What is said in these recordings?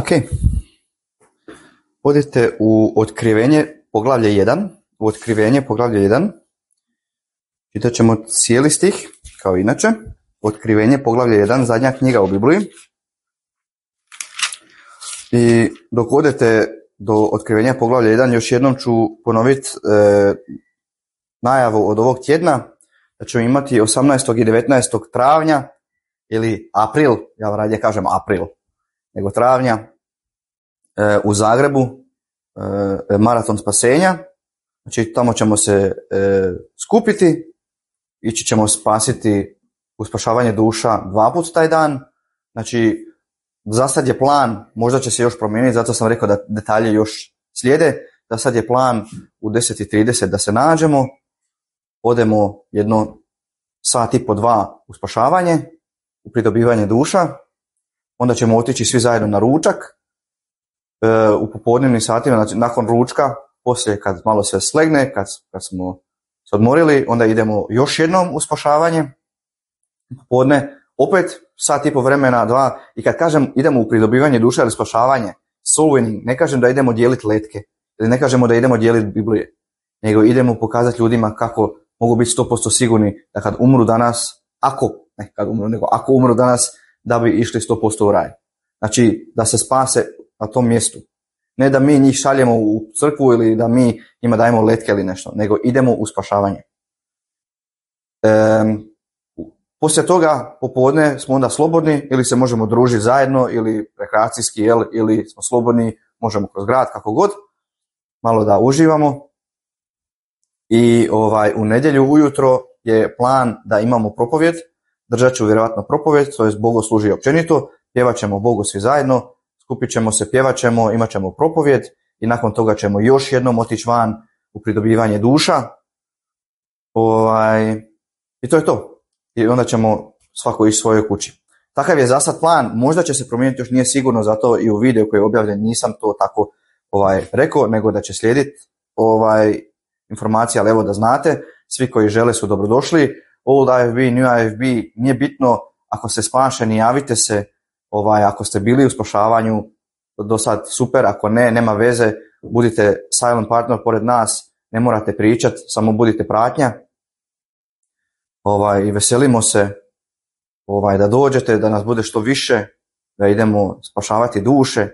Ok. Odite u Otkrivenje, poglavlje 1. U Otkrivenje, poglavlje 1. Čitat ćemo cijeli stih, kao inače. Otkrivenje, poglavlje 1, zadnja knjiga u Bibliji. I dok odete do Otkrivenja, poglavlja 1, još jednom ću ponoviti najavu od ovog tjedna, da ćemo imati 18. i 19. travnja, ili april, ja radije kažem april, nego travnja, u Zagrebu, maraton spasenja. Znači tamo ćemo se skupiti, ići ćemo spasiti u spašavanje duša 2 puta taj dan. Znači za sad je plan, možda će se još promijeniti, zato sam rekao da detalje još slijede. Za sad je plan u 10:30 da se nađemo, odemo jedno sat i po 2 u spašavanje, u pridobivanje duša, onda ćemo otići svi zajedno na ručak u popodnevnim satima, znači nakon ručka, poslije kad malo se slegne, kad smo se odmorili, onda idemo još jednom u spašavanje, popodne opet sat i po vremena, 2, i kad kažem idemo u pridobivanje duša ili spašavanje, soul winning, ne kažem da idemo dijeliti letke, ili ne kažemo da idemo dijeliti Biblije, nego idemo pokazati ljudima kako mogu biti 100% sigurni da kad umru danas, ako umru danas, da bi išli 100% u raj. Znači da se spase na tom mjestu. Ne da mi njih šaljemo u crkvu ili da mi njima dajemo letke ili nešto, nego idemo u spašavanje. Poslije toga popodne smo onda slobodni, ili se možemo družiti zajedno, ili rekreacijski, ili smo slobodni, možemo kroz grad, kako god, malo da uživamo. I u nedjelju ujutro je plan da imamo propovjed, držat ću vjerojatno propovjed, to je bogoslužje općenito, pjevat ćemo Bogu svi zajedno, skupit ćemo se, pjevat ćemo, imat ćemo propovjed i nakon toga ćemo još jednom otići van u pridobivanje duša. I to je to. I onda ćemo svako ići svojoj kući. Takav je za sad plan, možda će se promijeniti, još nije sigurno, zato i u videu koji je objavljen nisam to tako rekao, nego da će slijediti informacija, ali evo da znate, svi koji žele su dobrodošli. Old IFB, New IFB, nije bitno, ako ste spašeni, javite se, ako ste bili u spašavanju, do sad super, ako ne, nema veze, budite silent partner pored nas, ne morate pričati, samo budite pratnja. I veselimo se da dođete, da nas bude što više, da idemo spašavati duše.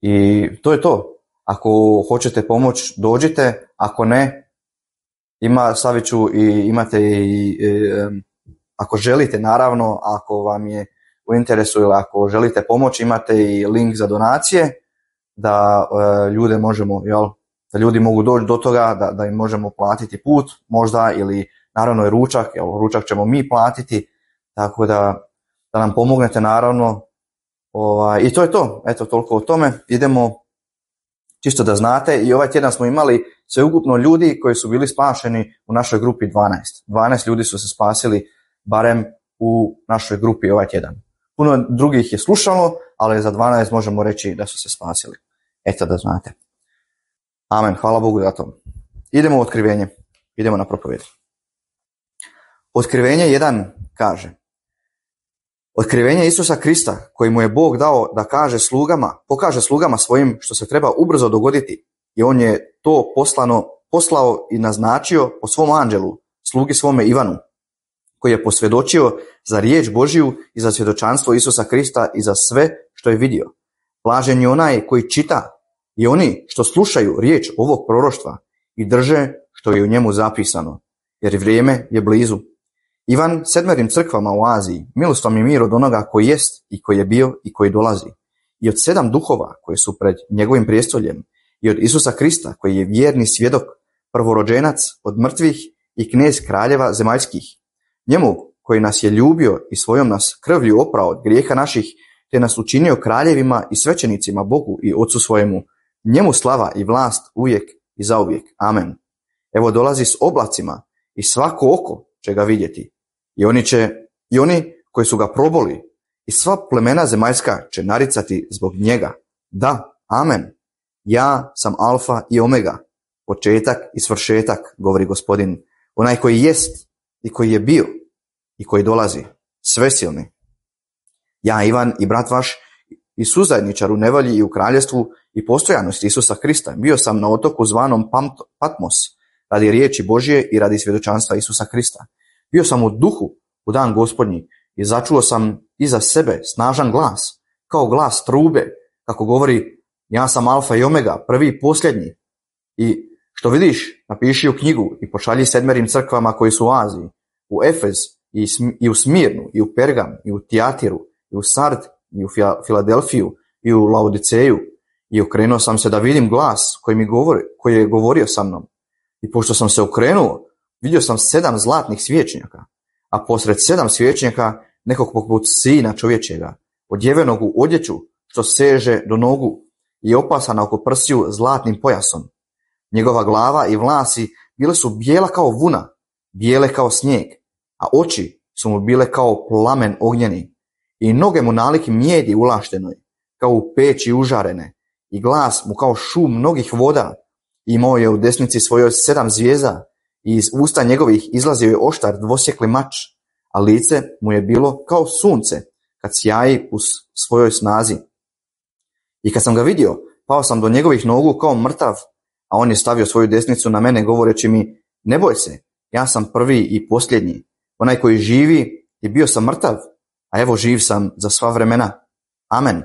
I to je to. Ako hoćete pomoć, dođite, ako ne, stavit ću i imate i ako želite, naravno, ako vam je u interesu ili ako želite pomoć, imate i link za donacije, da ljude možemo, da ljudi mogu doći do toga, da im možemo platiti put, možda, ili naravno i ručak, ručak ćemo mi platiti, tako da nam pomognete, naravno. I to je to, eto, toliko o tome. Idemo, čisto da znate, i ovaj tjedan smo imali sveukupno ljudi koji su bili spašeni u našoj grupi 12. 12 ljudi su se spasili barem u našoj grupi ovaj tjedan. Puno drugih je slušalo, ali za 12 možemo reći da su se spasili. Eto da znate. Amen, hvala Bogu za to. Idemo u Otkrivenje, idemo na propovjed. Otkrivenje 1 kaže: Otkrivenje Isusa Krista, koji mu je Bog dao da pokaže slugama svojim što se treba ubrzo dogoditi, i on je to poslao i naznačio po svom anđelu, slugi svome Ivanu, koji je posvjedočio za riječ Božiju i za svjedočanstvo Isusa Krista i za sve što je vidio. Blažen je onaj koji čita i oni što slušaju riječ ovog proroštva i drže što je u njemu zapisano, jer vrijeme je blizu. Ivan 7 crkvama u Aziji, milost vam i mir od onoga koji jest i koji je bio i koji dolazi, i od 7 duhova koji su pred njegovim prijestoljem, i od Isusa Krista koji je vjerni svjedok, prvorođenac od mrtvih i knez kraljeva zemaljskih. Njemu koji nas je ljubio i svojom nas krvlju oprao od grijeha naših, te nas učinio kraljevima i svećenicima Bogu i Otcu svojemu. Njemu slava i vlast uvijek i zauvijek. Amen. Evo dolazi s oblacima i svako oko će ga vidjeti. I oni koji su ga proboli i sva plemena zemaljska će naricati zbog njega. Da, amen. Ja sam alfa i omega, početak i svršetak, govori Gospodin, onaj koji jest i koji je bio i koji dolazi, svesilni. Ja, Ivan, i brat vaš i suzajedničar u nevolji i u kraljevstvu i postojanosti Isusa Krista. Bio sam na otoku zvanom Patmos radi riječi Božje i radi svjedočanstva Isusa Krista. Bio sam u duhu u dan Gospodnji i začuo sam iza sebe snažan glas, kao glas trube, kako govori: ja sam Alfa i Omega, prvi i posljednji. I što vidiš, napiši u knjigu i pošalji 7 crkvama koji su u Aziji, u Efez i u Smirnu, i u Pergam, i u Tijatiru, i u Sard, i u Filadelfiju, i u Laodiceju. I okrenuo sam se da vidim glas koji je govorio sa mnom. I pošto sam se okrenuo, vidio sam 7 zlatnih svječnjaka, a posred 7 svječnjaka nekog poput sina čovječega, odjevenog u odjeću što seže do nogu i opasana oko prsiju zlatnim pojasom. Njegova glava i vlasi bile su bijela kao vuna, bijele kao snijeg, a oči su mu bile kao plamen ognjeni, i noge mu nalik mijedi ulaštenoj, kao u peći užarene, i glas mu kao šum mnogih voda. Imao je u desnici svojoj 7 zvijezda, i iz usta njegovih izlazio je oštar dvosjekli mač, a lice mu je bilo kao sunce kad sjaji u svojoj snazi. I kad sam ga vidio, pao sam do njegovih nogu kao mrtav, a on je stavio svoju desnicu na mene govoreći mi: ne boj se, ja sam prvi i posljednji, onaj koji živi, i bio sam mrtav, a evo živ sam za sva vremena. Amen.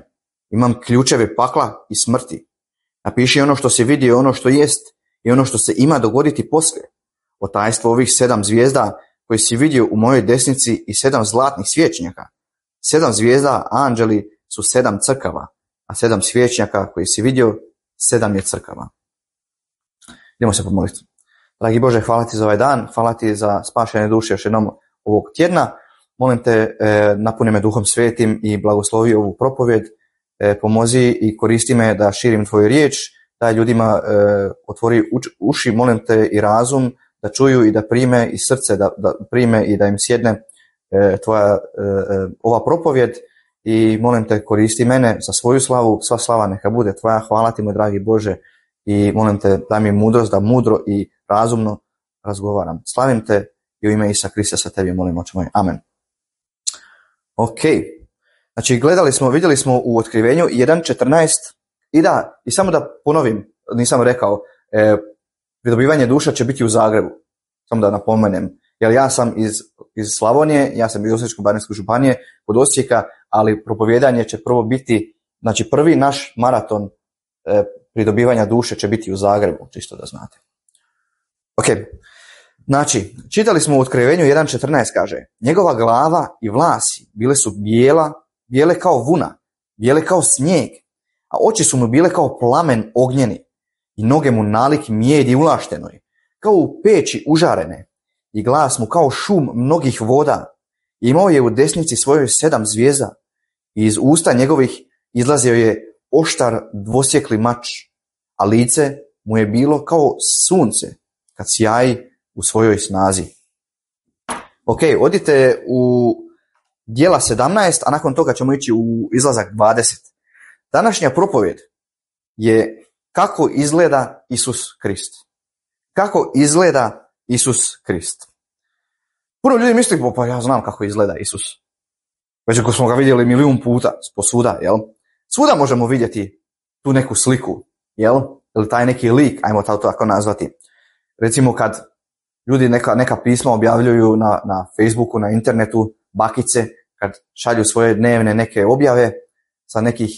Imam ključeve pakla i smrti. Napiši ono što si vidio, ono što jest i ono što se ima dogoditi poslije. O tajstvo ovih 7 zvijezda koji si vidio u mojoj desnici i 7 zlatnih svječnjaka. 7 zvijezda, anđeli, su 7 crkava, a 7 svječnjaka koji si vidio, 7 je crkava. Idemo se pomoliti. Dragi Bože, hvala ti za ovaj dan, hvala ti za spašene duše još jednom ovog tjedna. Molim te, napuni me Duhom Svetim i blagoslovi ovu propovjed. Pomozi i koristi me da širim tvoju riječ, daj ljudima otvori uši, molim te, i razum da čuju i da prime, i srce da prime i da im sjedne tvoja ova propovjed. I molim te, koristi mene za svoju slavu, sva slava neka bude tvoja. Hvala ti, moj dragi Bože, i molim te, daj mi mudrost da mudro i razumno razgovaram. Slavim te i u ime Isusa Krista sa tebi molim, oče moj. Amen. Ok. Znači, vidjeli smo u Otkrivenju 1.14 i samo da ponovim, nisam rekao, pridobivanje duša će biti u Zagrebu. Samo da napomenem, jer ja sam iz Slavonije, ja sam iz Osječko-baranjske županije, kod Osijeka, ali propovijedanje će prvo biti, znači prvi naš maraton pridobivanja duše će biti u Zagrebu, čisto da znate. Ok, znači, čitali smo u Otkrivenju 1.14, kaže: njegova glava i vlasi bile su bijele kao vuna, bijele kao snijeg, a oči su mu bile kao plamen ognjeni, i noge mu nalik mijedi ulaštenoj, kao u peći užarene, i glas mu kao šum mnogih voda. I imao je u desnici svojoj 7 zvijezda, i iz usta njegovih izlazio je oštar dvosjekli mač, a lice mu je bilo kao sunce kad sjaji u svojoj snazi. Ok, odite u Djela 17, a nakon toga ćemo ići u Izlazak 20. Današnja propovjed je kako izgleda Isus Krist. Kako izgleda Isus Krist. Puno ljudi misli, pa ja znam kako izgleda Isus. Već ako smo ga vidjeli milijun puta posvuda, jel? Svuda možemo vidjeti tu neku sliku, jel? Ili taj neki lik, ajmo to tako nazvati. Recimo kad ljudi neka pisma objavljuju na Facebooku, na internetu, bakice, kad šalju svoje dnevne neke objave sa nekih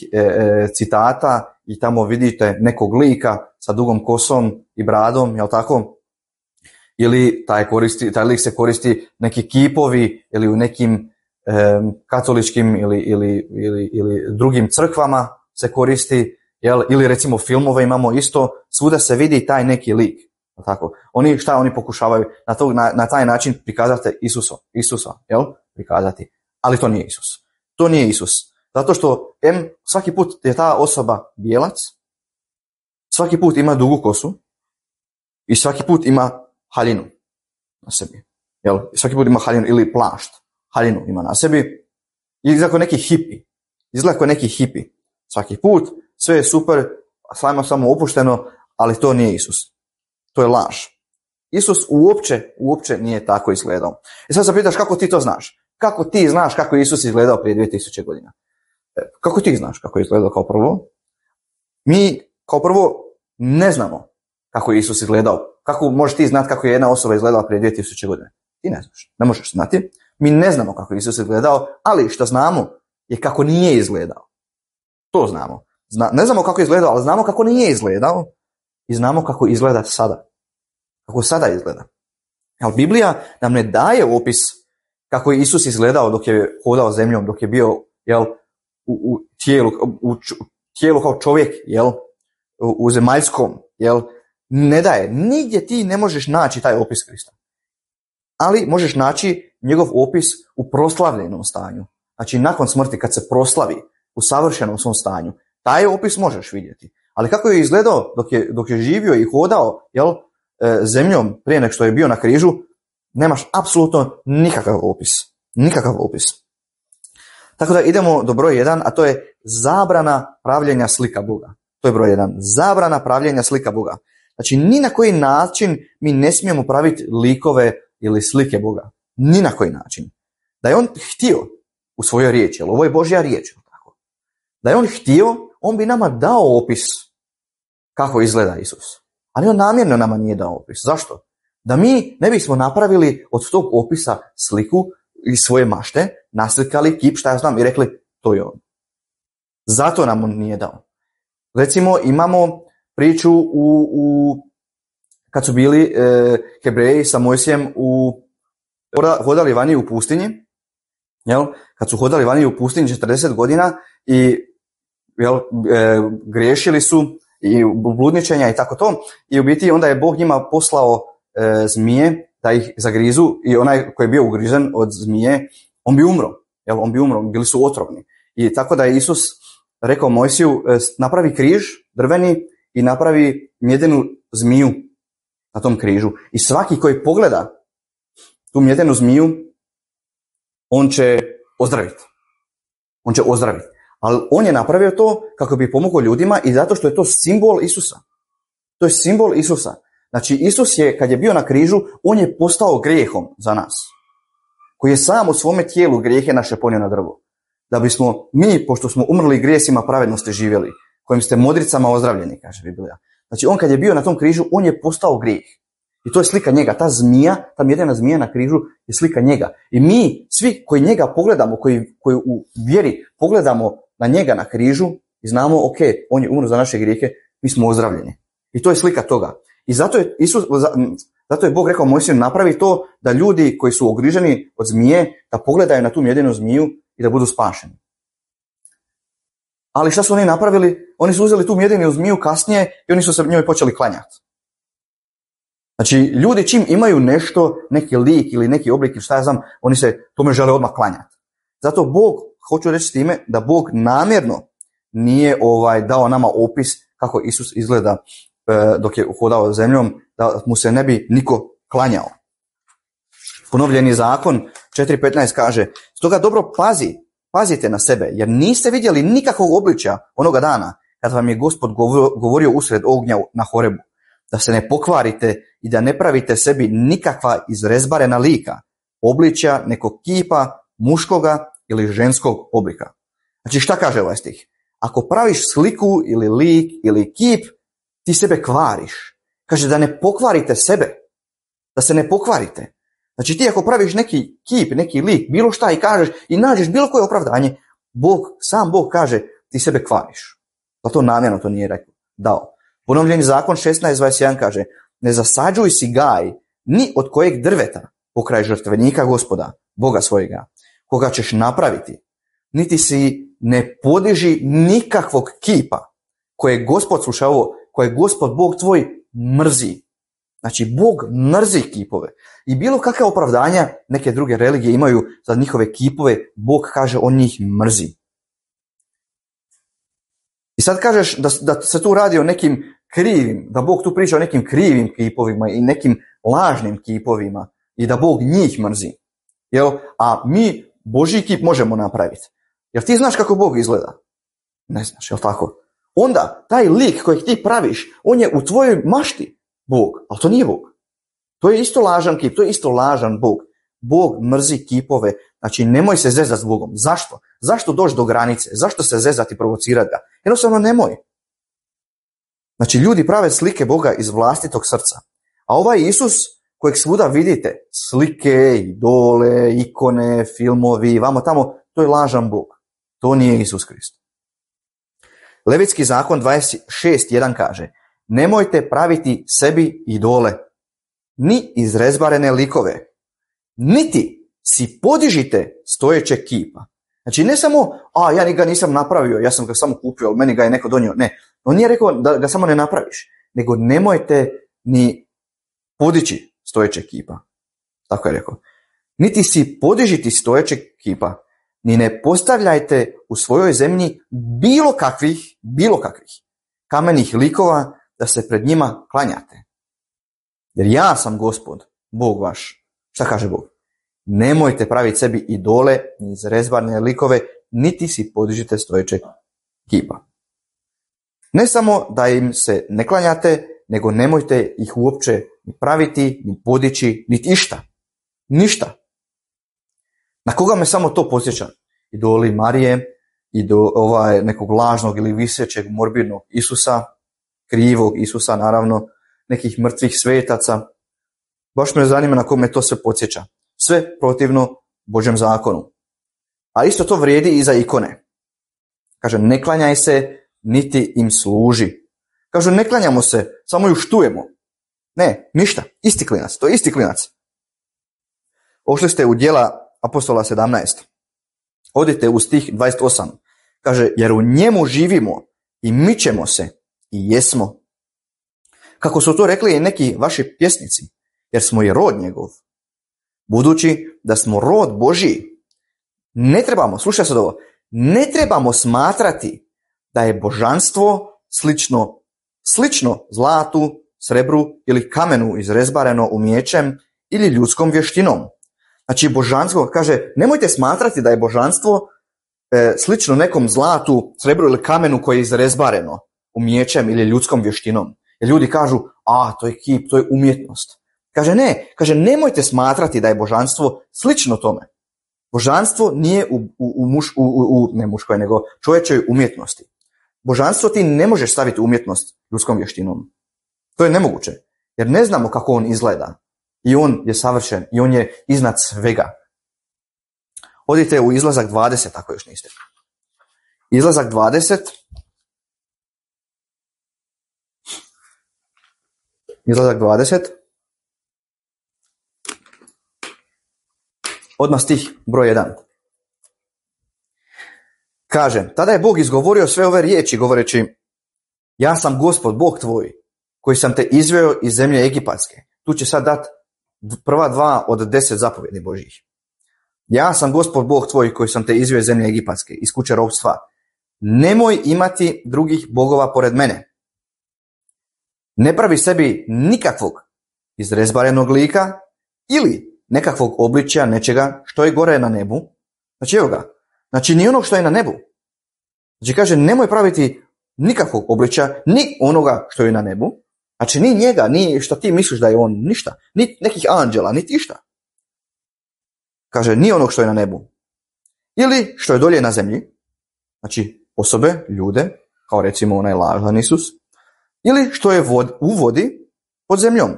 citata i tamo vidite nekog lika sa dugom kosom i bradom, jel tako? Ili taj lik se koristi neki kipovi ili u nekim katoličkim ili drugim crkvama se koristi, jel? Ili recimo filmove imamo isto, svuda se vidi taj neki lik. Tako. Oni pokušavaju na taj način prikazati Isusa, jel? Prikazati. Ali to nije Isus. To nije Isus. Zato što svaki put je ta osoba bijelac, svaki put ima dugu kosu i svaki put ima haljinu na sebi. Jel? Svaki put ima haljinu ili plašt. Haljinu ima na sebi. Izgleda kao neki hipi. Svaki put sve je super, samo opušteno, ali to nije Isus. To je laž. Isus uopće nije tako izgledao. I sad se pitaš kako ti to znaš? Kako ti znaš kako je Isus izgledao prije 2000 godina? Kako ti znaš kako je izgledao kao prvo? Mi kao prvo ne znamo kako je Isus izgledao. Kako možeš ti znati kako je jedna osoba izgledala prije 2000 godina? Ti ne znaš, ne možeš znati. Mi ne znamo kako je Isus izgledao, ali što znamo je kako nije izgledao. To znamo. Ne znamo kako je izgledao, ali znamo kako nije izgledao i znamo kako izgleda sada. Kako sada izgleda. Ali Biblija nam ne daje opis kako je Isus izgledao dok je hodao zemljom, dok je bio u tijelu kao čovjek, u zemaljskom, ne daje. Nigdje ti ne možeš naći taj opis Krista. Ali možeš naći njegov opis u proslavljenom stanju. Znači nakon smrti kad se proslavi u savršenom svom stanju, taj opis možeš vidjeti. Ali kako je izgledao dok je živio i hodao zemljom prije nego što je bio na križu, nemaš apsolutno nikakav opis. Nikakav opis. Tako da idemo do broj 1, a to je zabrana pravljenja slika Boga. To je broj 1. Zabrana pravljenja slika Boga. Znači ni na koji način mi ne smijemo praviti likove ili slike Boga. Ni na koji način. Da je on htio u svojoj riječi, jer ovo je Božja riječ. Tako. Da je on htio, on bi nama dao opis kako izgleda Isus. Ali on namjerno nama nije dao opis. Zašto? Da mi ne bismo napravili od tog opisa sliku iz svoje mašte, naslikali kip, šta ja znam, i rekli to je on. Zato nam on nije dao. Recimo imamo priču kad su bili Hebreji sa Mojsijem hodali vani u pustinji, kad su hodali vani u pustinji 40 godina i griješili su i bludničenja i tako to, i u biti onda je Bog njima poslao zmije da ih zagrizu i onaj koji je bio ugrizen od zmije, on bi umro, bili su otrovni. I tako da je Isus rekao Mojsiju, napravi križ drveni i napravi mjedenu zmiju na tom križu. I svaki koji pogleda tu mjedenu zmiju, on će ozdraviti. Ali on je napravio to kako bi pomogao ljudima i zato što je to simbol Isusa. To je simbol Isusa. Znači Isus je, kad je bio na križu, on je postao grijehom za nas. Koji je sam u svome tijelu grijehe naše ponio na drvo. Da bismo mi, pošto smo umrli grijesima, pravednosti živjeli, kojim ste modricama ozdravljeni, kaže Biblija. Znači on kad je bio na tom križu, on je postao grijeh. I to je slika njega. Ta zmija, ta mjedena zmija na križu je slika njega. I mi, svi koji njega pogledamo, koji u vjeri pogledamo na njega na križu i znamo, ok, on je umro za naše grijehe, mi smo ozdravljeni. I to je slika toga. I zato je Bog rekao Mojsiju, napravi to da ljudi koji su ogriženi od zmije, da pogledaju na tu mjedenu zmiju i da budu spašeni. Ali šta su oni napravili? Oni su uzeli tu mjedenu zmiju kasnije i oni su se njoj počeli klanjati. Znači, ljudi čim imaju nešto, neki lik ili neki oblik ili šta ja znam, oni se tome žele odmah klanjati. Zato Bog, hoću reći s time, da Bog namjerno nije dao nama opis kako Isus izgleda dok je hodao zemljom, da mu se ne bi niko klanjao. Ponovljeni zakon 4.15 kaže, stoga dobro pazite na sebe, jer niste vidjeli nikakvog obličja onoga dana kad vam je Gospod govorio usred ognja na Horebu, da se ne pokvarite i da ne pravite sebi nikakva izrezbarena lika, obličja nekog kipa, muškoga ili ženskog oblika. Znači šta kaže ovaj stih? Ako praviš sliku ili lik ili kip, ti sebe kvariš. Kaže da ne pokvarite sebe, da se ne pokvarite. Znači ti ako praviš neki kip, neki lik, bilo šta i kažeš i nađeš bilo koje opravdanje, sam Bog kaže ti sebe kvariš. Pa to namjerno to nije dao. Ponovljeni zakon 16.21 kaže, ne zasađuj si gaj ni od kojeg drveta pokraj žrtvenika Gospoda, Boga svojega, koga ćeš napraviti, niti si ne podiži nikakvog kipa koje Gospod, slušaj ovo, koje Gospod Bog tvoj mrzi. Znači Bog mrzi kipove. I bilo kakve opravdanja neke druge religije imaju za njihove kipove, Bog kaže on njih mrzi. I sad kažeš da se tu radi o nekim krivim, da Bog tu priča o nekim krivim kipovima i nekim lažnim kipovima i da Bog njih mrzi. A mi Božji kip možemo napraviti. Jer ti znaš kako Bog izgleda? Ne znaš, jel tako? Onda taj lik kojeg ti praviš, on je u tvojoj mašti Bog, ali to nije Bog. To je isto lažan kip, to je isto lažan Bog. Bog mrzi kipove, znači nemoj se zezati s Bogom. Zašto? Zašto doći do granice? Zašto se zezati i provocirati ga? Jednostavno nemoj. Znači, ljudi prave slike Boga iz vlastitog srca. A ovaj Isus kojeg svuda vidite, slike, idole, ikone, filmovi, vamo tamo, to je lažan Bog. To nije Isus Krist. Levitski zakon 26.1 kaže: nemojte praviti sebi idole, ni izrezbarene likove, niti si podižite stojećeg kipa. Znači, ne samo, ja ga nisam napravio, ja sam ga samo kupio, ali meni ga je neko donio. Ne, on nije rekao da ga samo ne napraviš, nego nemojte ni podići stojećeg kipa. Tako je rekao. Niti si podižiti stojećeg kipa, ni ne postavljajte u svojoj zemlji bilo kakvih kamenih likova da se pred njima klanjate. Jer ja sam Gospod, Bog vaš. Šta kaže Bog? Nemojte praviti sebi idole, ni izrezbarne likove, niti si podižite stojećeg kipa. Ne samo da im se ne klanjate, nego nemojte ih uopće ni praviti, ni podići, niti išta. Ništa. Na koga me samo to podsjeća? Idoli Marije, nekog lažnog ili visećeg morbidnog Isusa, krivog Isusa, naravno, nekih mrtvih svetaca. Baš me zanima na koga me to sve podsjeća. Sve protivno Božjem zakonu. A isto to vrijedi i za ikone. Kaže, ne klanjaj se, niti im služi. Kažu, ne klanjamo se, samo ju štujemo. Ne, ništa, isti klinac, to je isti klinac. Ošli ste u Djela Apostola 17. Odite u stih 28. Kaže, jer u njemu živimo i mičemo se i jesmo. Kako su to rekli i neki vaši pjesnici, jer smo i rod njegov. Budući da smo rod Božji, ne trebamo, slušaj sad ovo, ne trebamo smatrati da je božanstvo slično zlatu, srebru ili kamenu izrezbareno umijećem ili ljudskom vještinom. Znači, božanstvo, kaže, nemojte smatrati da je božanstvo slično nekom zlatu, srebru ili kamenu koje je izrezbareno umijećem ili ljudskom vještinom. Jer ljudi kažu, to je kip, to je umjetnost. Kaže, ne, nemojte smatrati da je božanstvo slično tome. Božanstvo nije ne muškoj, nego čovječoj umjetnosti. Božanstvo ti ne možeš staviti umjetnost ljudskom vještinom. To je nemoguće, jer ne znamo kako on izgleda. I on je savršen, i on je iznad svega. Odite u Izlazak 20, ako još niste. Izlazak 20. Izlazak 20. Odmah stih broj 1. Kaže, tada je Bog izgovorio sve ove riječi, govoreći, ja sam Gospod, Bog tvoj, koji sam te izveo iz zemlje Egipatske. Tu će sad dati prva 2 od 10 zapovjedi Božjih. Ja sam Gospod, Bog tvoj, koji sam te izveo iz zemlje Egipatske, iz kuće ropstva. Nemoj imati drugih bogova pored mene. Ne pravi sebi nikakvog izrezbarenog lika ili nekakvog obličja nečega što je gore na nebu. Znači, evo ga. Znači, ni onog što je na nebu. Znači, kaže, nemoj praviti nikakvog obličja, ni onoga što je na nebu. Znači, ni njega, ni što ti misliš da je on, ništa. Ni nekih anđela, niti išta. Kaže, ni onog što je na nebu. Ili što je dolje na zemlji. Znači, osobe, ljude, kao recimo onaj lažan Isus. Ili što je u vodi pod zemljom.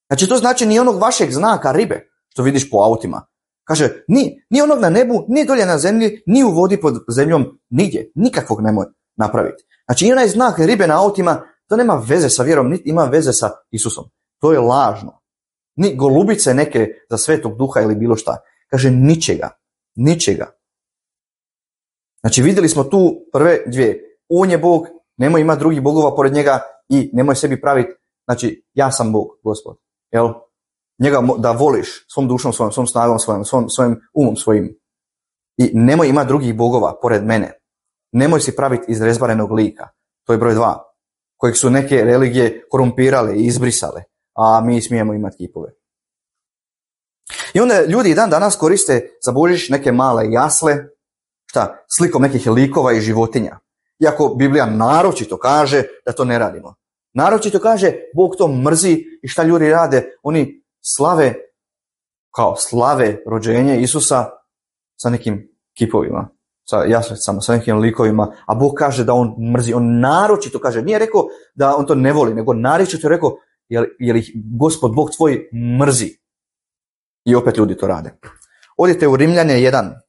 Znači, to znači ni onog vašeg znaka ribe, što vidiš po autima. Kaže, ni onog na nebu, ni dolje na zemlji, ni u vodi pod zemljom, nigdje. Nikakvog nemoj napraviti. Znači, i onaj znak ribe na autima, to nema veze sa vjerom, niti ima veze sa Isusom. To je lažno. Ni golubice neke za Svetog Duha ili bilo šta. Kaže, ničega. Znači, vidjeli smo tu prve 2. On je Bog, nemoj imati drugih bogova pored njega i nemoj sebi praviti, znači, ja sam Bog, Gospod. Jel? Njega da voliš svom dušom svojom, svom snagom svojom, svojim umom svojim. I nemoj imati drugih bogova pored mene. Nemoj si praviti izrezbarenog lika. To je broj 2. Kojeg su neke religije korumpirale i izbrisale. A mi smijemo imati kipove. I onda ljudi dan danas koriste za Božić neke male jasle, slikom nekih likova i životinja. Iako Biblija naročito kaže da to ne radimo. Naročito kaže, Bog to mrzi i šta ljudi rade? Oni slave rođenje Isusa sa nekim kipovima. sa nekim likovima, a Bog kaže da on mrzi, on naročito kaže, nije rekao da on to ne voli, nego naročito je rekao, jer ih Gospod Bog tvoj mrzi. I opet ljudi to rade. Odite u Rimljane 1.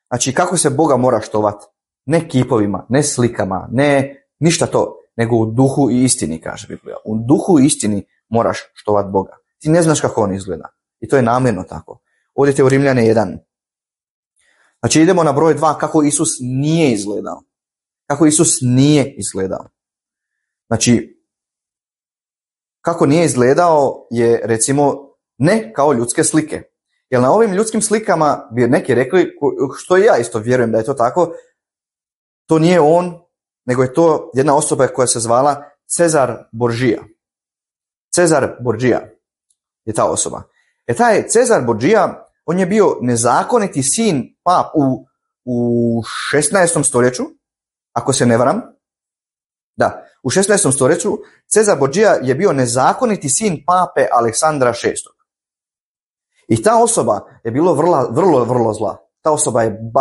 Znači, kako se Boga mora štovati? Ne kipovima, ne slikama, ne ništa to, nego u duhu i istini, kaže Biblija. U duhu i istini moraš štovati Boga. Ti ne znaš kako on izgleda. I to je namjerno tako. Odite u Rimljane 1. Znači, idemo na broj 2, kako Isus nije izgledao. Kako Isus nije izgledao. Znači, kako nije izgledao je, recimo, ne kao ljudske slike. Jer na ovim ljudskim slikama bi neki rekli, što i ja isto vjerujem da je to tako, to nije on, nego je to jedna osoba koja se zvala Cezar Borgia. Cezar Borgia je ta osoba. Taj Cezar Borgia, on je bio nezakoniti sin u 16. stoljeću, ako se ne varam. Da, u 16. stoljeću Cezar Borgia je bio nezakoniti sin pape Aleksandra VI. I ta osoba je bilo vrlo zla. Ta osoba je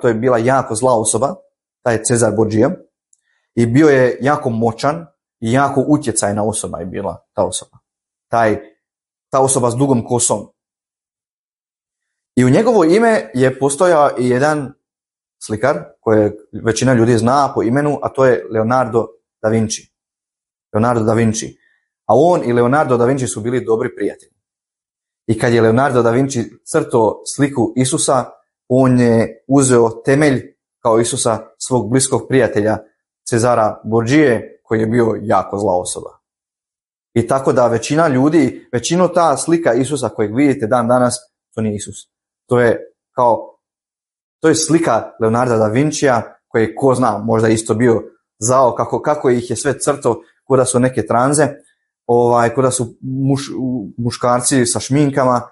to je bila jako zla osoba, taj Cezar Borgia. I bio je jako moćan i jako utjecajna osoba je bila ta osoba. Ta osoba s dugom kosom. I u njegovo ime je postojao i jedan slikar koje većina ljudi zna po imenu, a to je Leonardo da Vinci. Leonardo da Vinci. A on i Leonardo da Vinci su bili dobri prijatelji. I kad je Leonardo da Vinci crtao sliku Isusa, on je uzeo temelj kao Isusa svog bliskog prijatelja Cezara Borgije, koji je bio jako zla osoba. I tako da većinu ta slika Isusa kojeg vidite dan danas, to nije Isus. To je slika Leonarda da Vincija, koji ko zna, možda isto bio zao, kako ih je sve crtao, kuda su neke tranze, kuda su muškarci sa šminkama,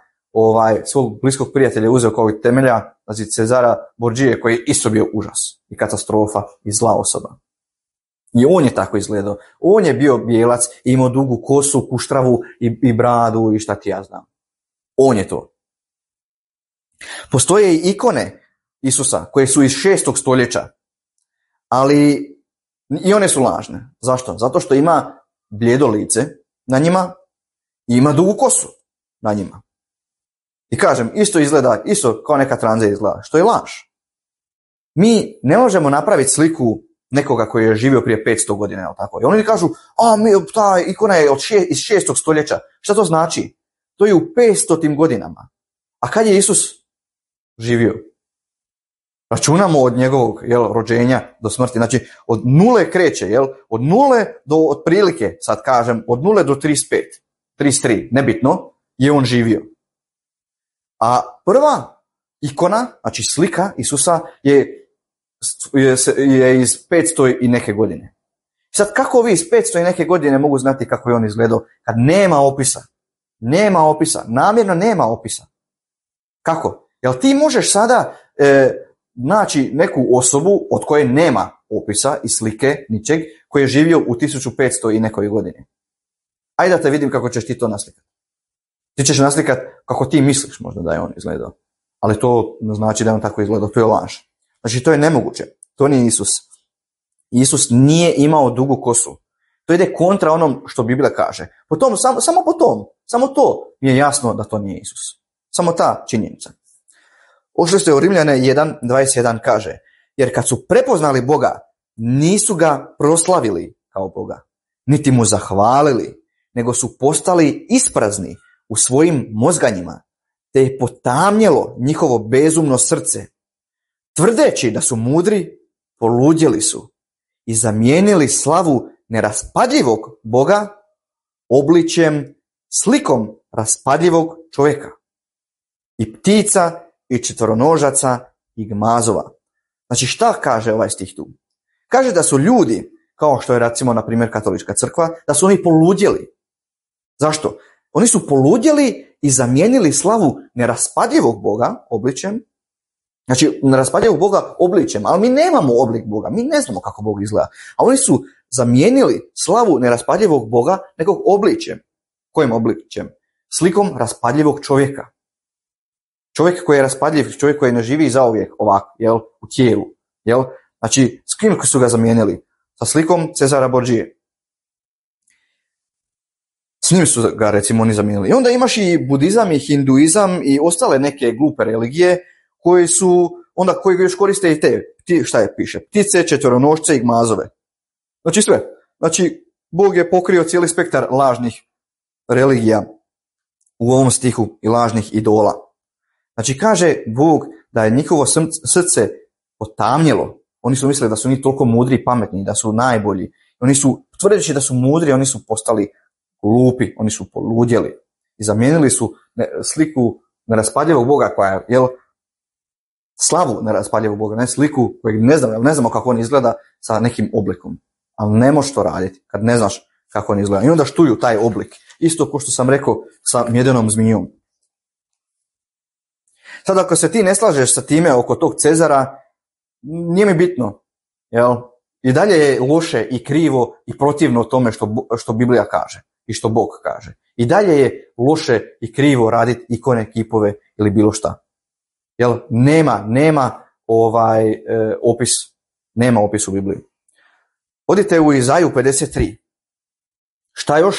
svog bliskog prijatelja uzeo kao temelja, znači Cezara Borgije, koji je isto bio užas i katastrofa i zla osoba. I on je tako izgledao. On je bio bijelac, imao dugu kosu, kuštravu i bradu i šta ti ja znam. On je to. Postoje i ikone Isusa koje su iz 6. stoljeća, ali i one su lažne. Zašto? Zato što ima bljedo lice na njima i ima dugu kosu na njima. I kažem, isto izgleda, isto kao neka tranza izgleda, što je laž. Mi ne možemo napraviti sliku nekoga koji je živio prije 500 godina, jel tako? I oni kažu, ta ikona je iz 6. stoljeća. Šta to znači? To je u 500 godinama. A kad je Isus živio? Računamo od njegovog rođenja do smrti. Znači, od nule kreće, od nule do otprilike, sad kažem, od nule do 35, 33, nebitno, je on živio. A prva ikona, znači slika Isusa, je iz 500 i neke godine. Sad, kako vi iz 500 i neke godine mogu znati kako je on izgledao kad nema opisa? Nema opisa, namjerno nema opisa. Kako? Jel ti možeš sada naći neku osobu od koje nema opisa i slike, ničeg, koji je živio u 1500 i nekoj godini? Ajde da te vidim kako ćeš ti to naslikati. Ti ćeš naslikati kako ti misliš možda da je on izgledao. Ali to ne znači da je on tako izgledao, to je laž. Znači, to je nemoguće. To nije Isus. Isus nije imao dugu kosu. To ide kontra onom što Biblija kaže. Samo to mi je jasno da to nije Isus. Samo ta činjenica. Ošli ste u Rimljane 1.21 kaže, jer kad su prepoznali Boga, nisu ga proslavili kao Boga, niti mu zahvalili, nego su postali isprazni u svojim mozganjima, te je potamnjelo njihovo bezumno srce. Tvrdeći da su mudri, poludjeli su i zamijenili slavu neraspadljivog Boga obličjem, slikom raspadljivog čovjeka i ptica i četvoronožaca i gmazova. Znači, šta kaže ovaj stih tu? Kaže da su ljudi, kao što je recimo na primjer katolička crkva, da su oni poludjeli. Zašto? Oni su poludjeli i zamijenili slavu neraspadljivog Boga obličjem. Znači, neraspadljivog Boga obličjem, ali mi nemamo oblik Boga, mi ne znamo kako Bog izgleda. A oni su zamijenili slavu neraspadljivog Boga nekog obličjem. Kojim obličjem? Slikom raspadljivog čovjeka. Čovjek koji je raspadljiv, čovjek koji ne živi zauvijek ovako, jel, u tijelu. Jel? Znači, s kim su ga zamijenili? Sa slikom Cezara Borđije. S njim su ga, recimo, oni zamijenili. I onda imaš i budizam, i hinduizam, i ostale neke glupe religije, koji još koriste i te, šta je piše, ptice, četvoronošce i gmazove. Znači sve. Znači, Bog je pokrio cijeli spektar lažnih religija u ovom stihu i lažnih idola. Znači, kaže Bog da je njihovo srce potamnjelo. Oni su mislili da su oni toliko mudri i pametni, da su najbolji. Oni su, tvrdeći da su mudri, oni su postali glupi, oni su poludjeli. I zamijenili su sliku neraspadljivog Boga koja je, slavu neraspadljivog Boga, ne sliku kojeg ne znamo kako on izgleda sa nekim oblikom. Ali ne možeš to raditi kad ne znaš kako on izgleda. I onda štuju taj oblik. Isto kao što sam rekao sa mjedenom zmijom. Sad ako se ti ne slažeš sa time oko tog Cezara, nije mi bitno. Jel? I dalje je loše i krivo i protivno tome što Biblija kaže i što Bog kaže. I dalje je loše i krivo raditi ikone, kipove ili bilo šta. Jel? Nema opis. Nema opis u Bibliji. Odite u Izaju 53. Šta još?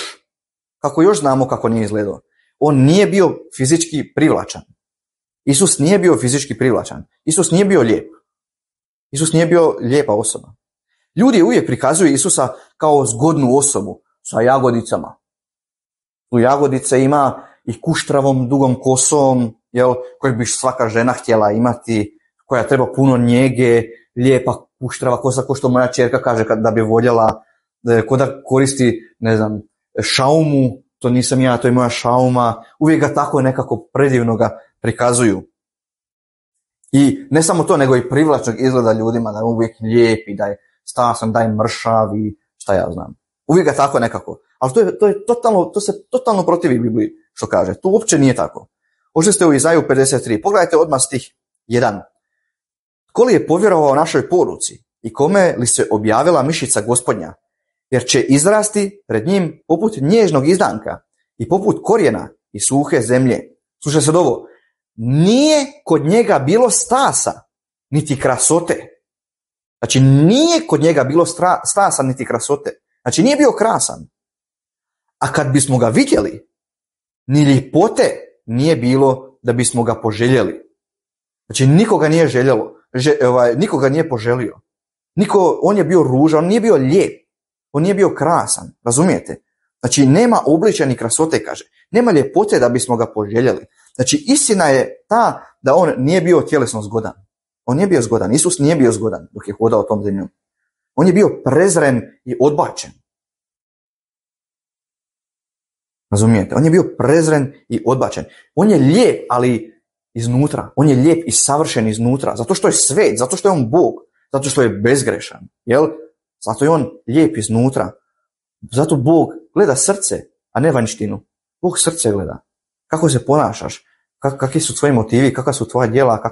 Kako još znamo kako nije izgledao? On nije bio fizički privlačan. Isus nije bio fizički privlačan. Isus nije bio lijep. Isus nije bio lijepa osoba. Ljudi uvijek prikazuju Isusa kao zgodnu osobu sa jagodicama. Tu jagodice ima i kuštravom dugom kosom, koju bi svaka žena htjela imati, koja treba puno njege, lijepa kuštrava kosa, ko što moja ćerka kaže da bi voljela, ko da koristi, šaumu, to nisam ja, to je moja šauma, uvijek ga tako nekako predivno ga prikazuju. I ne samo to, nego i privlačnog izgleda ljudima, da je uvijek lijep i da je stasan, da je mršav i šta ja znam. Uvijek ga tako nekako. Ali to se totalno protivi Bibliji što kaže. To uopće nije tako. Ošli ste u Izaju 53. Pogledajte odmah stih 1. Ko li je povjerovao našoj poruci i kome li se objavila mišica Gospodnja? Jer će izrasti pred njim poput nježnog izdanka i poput korijena i suhe zemlje. Slušaj sad ovo. Nije kod njega bilo stasa, niti krasote. Znači, nije kod njega bilo stasa, niti krasote. Znači, nije bio krasan. A kad bismo ga vidjeli, ni ljepote nije bilo da bismo ga poželjeli. Znači, nikoga nije željelo. Nikoga nije poželio. On je bio ružan, on nije bio lijep. On nije bio krasan. Razumijete? Znači, nema obličja ni krasote, kaže. Nema ljepote da bismo ga poželjeli. Znači, istina je ta da on nije bio tjelesno zgodan. On nije bio zgodan. Isus nije bio zgodan dok je hodao tom zemljom. On je bio prezren i odbačen. Razumijete? On je bio prezren i odbačen. On je lijep, ali iznutra. On je lijep i savršen iznutra. Zato što je svet, zato što je on Bog, zato što je bezgrešan. Jel? Zato je on lijep iznutra. Zato Bog gleda srce, a ne vanjštinu. Bog srce gleda. Kako se ponašaš? Kakvi su tvoji motivi? Kakva su tvoja djela?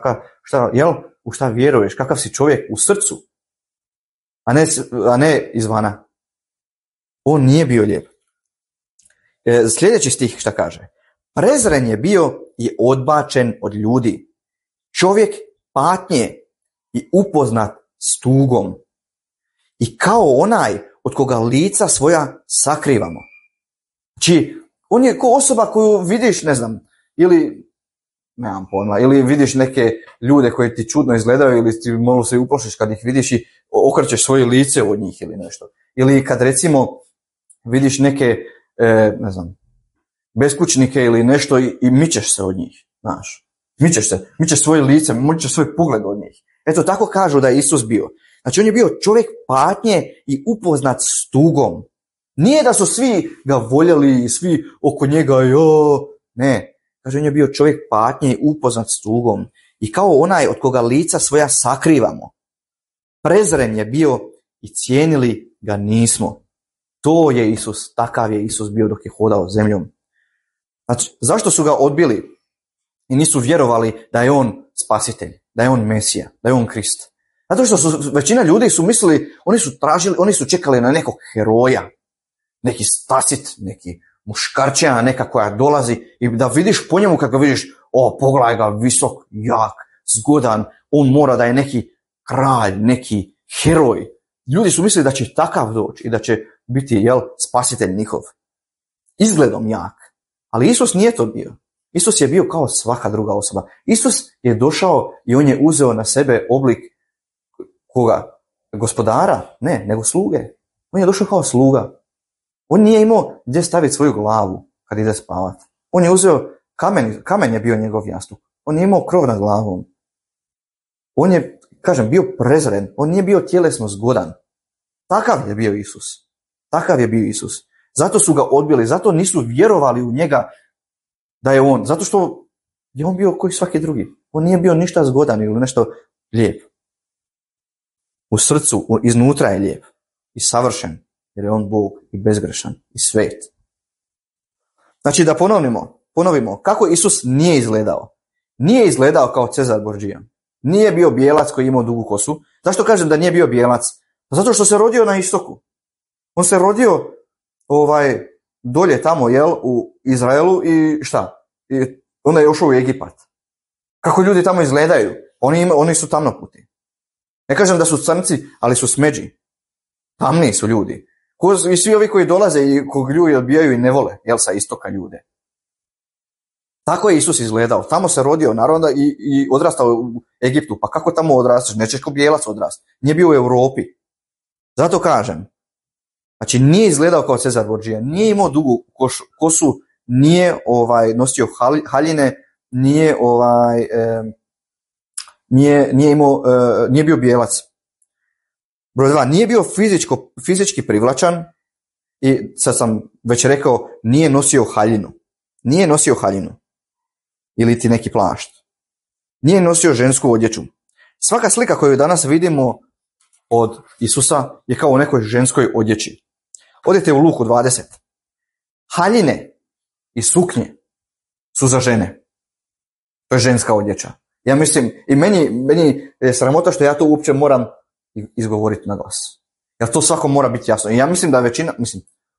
U šta vjeruješ? Kakav si čovjek u srcu? A ne izvana. On nije bio lijep. Sljedeći stih šta kaže? Prezren je bio i odbačen od ljudi. Čovjek patnje i upoznat s tugom. I kao onaj od koga lica svoja sakrivamo. Znači, on je ko osoba koju vidiš, nemam pojma, ili vidiš neke ljude koji ti čudno izgledaju ili ti malo se uplašiš kad ih vidiš i okrećeš svoje lice od njih ili nešto. Ili kad recimo vidiš neke, beskućnike ili nešto i mičeš se od njih, znaš. Mičeš svoje lice, mičeš svoj pogled od njih. Eto, tako kažu da je Isus bio. Znači, on je bio čovjek patnje i upoznat s tugom. Nije da su svi ga voljeli i svi oko njega, ne. Kaže, on je bio čovjek patnje i upoznat s tugom. I kao onaj od koga lica svoja sakrivamo. Prezren je bio i cijenili ga nismo. To je Isus, takav je Isus bio dok je hodao zemljom. Znači, zašto su ga odbili i nisu vjerovali da je on spasitelj, da je on Mesija, da je on Krist? Zato što većina ljudi su mislili, oni su čekali na nekog heroja, neki spasit, neki muškarčina neka koja dolazi i da vidiš po njemu kako vidiš, pogledaj ga, visok, jak, zgodan, on mora da je neki kralj, neki heroj. Ljudi su mislili da će takav doći i da će biti, spasitelj njihov. Izgledom jak. Ali Isus nije to bio. Isus je bio kao svaka druga osoba. Isus je došao i on je uzeo na sebe oblik koga? Gospodara? Ne, nego sluge. On je došao kao sluga. On nije imao gdje staviti svoju glavu kad ide spavati. On je uzeo kamen je bio njegov jastuk. On nije imao krov nad glavom. On je, bio prezren. On nije bio tjelesno zgodan. Takav je bio Isus. Takav je bio Isus. Zato su ga odbili, zato nisu vjerovali u njega da je on. Zato što je on bio koji svaki drugi. On nije bio ništa zgodan ili nešto lijep. U srcu, iznutra je lijep i savršen, jer je on Bog i bezgrešan i svet. Znači da ponovimo kako Isus nije izgledao. Nije izgledao kao Cezar Borgia. Nije bio bijelac koji je imao dugu kosu. Zašto kažem da nije bio bijelac? Zato što se rodio na istoku. On se rodio dolje tamo, u Izraelu i šta? I onda je ušao u Egipat. Kako ljudi tamo izgledaju? Oni su tamnoputi. Ne kažem da su crnci, ali su smeđi. Tamni su ljudi. I svi ovi koji dolaze i kog ljudi odbijaju i ne vole, sa istoka ljude. Tako je Isus izgledao. Tamo se rodio, naravno, i odrastao u Egiptu. Pa kako tamo odrastaš? Nećeš ko bijelac odrasti. Nije bio u Europi. Zato kažem. Znači, nije izgledao kao Cezar Borgia. Nije imao dugu kosu, nije nosio haljine, nije nije bio bijelac. Broj 2, nije bio fizički privlačan i sad sam već rekao, nije nosio haljinu. Nije nosio haljinu. Ili ti neki plašt. Nije nosio žensku odjeću. Svaka slika koju danas vidimo od Isusa je kao u nekoj ženskoj odjeći. Odite u Luku 20. Haljine i suknje su za žene. To je ženska odjeća. Ja mislim, i meni je sramota što ja to uopće moram izgovoriti na glas. Jer to svako mora biti jasno. I ja mislim da većina,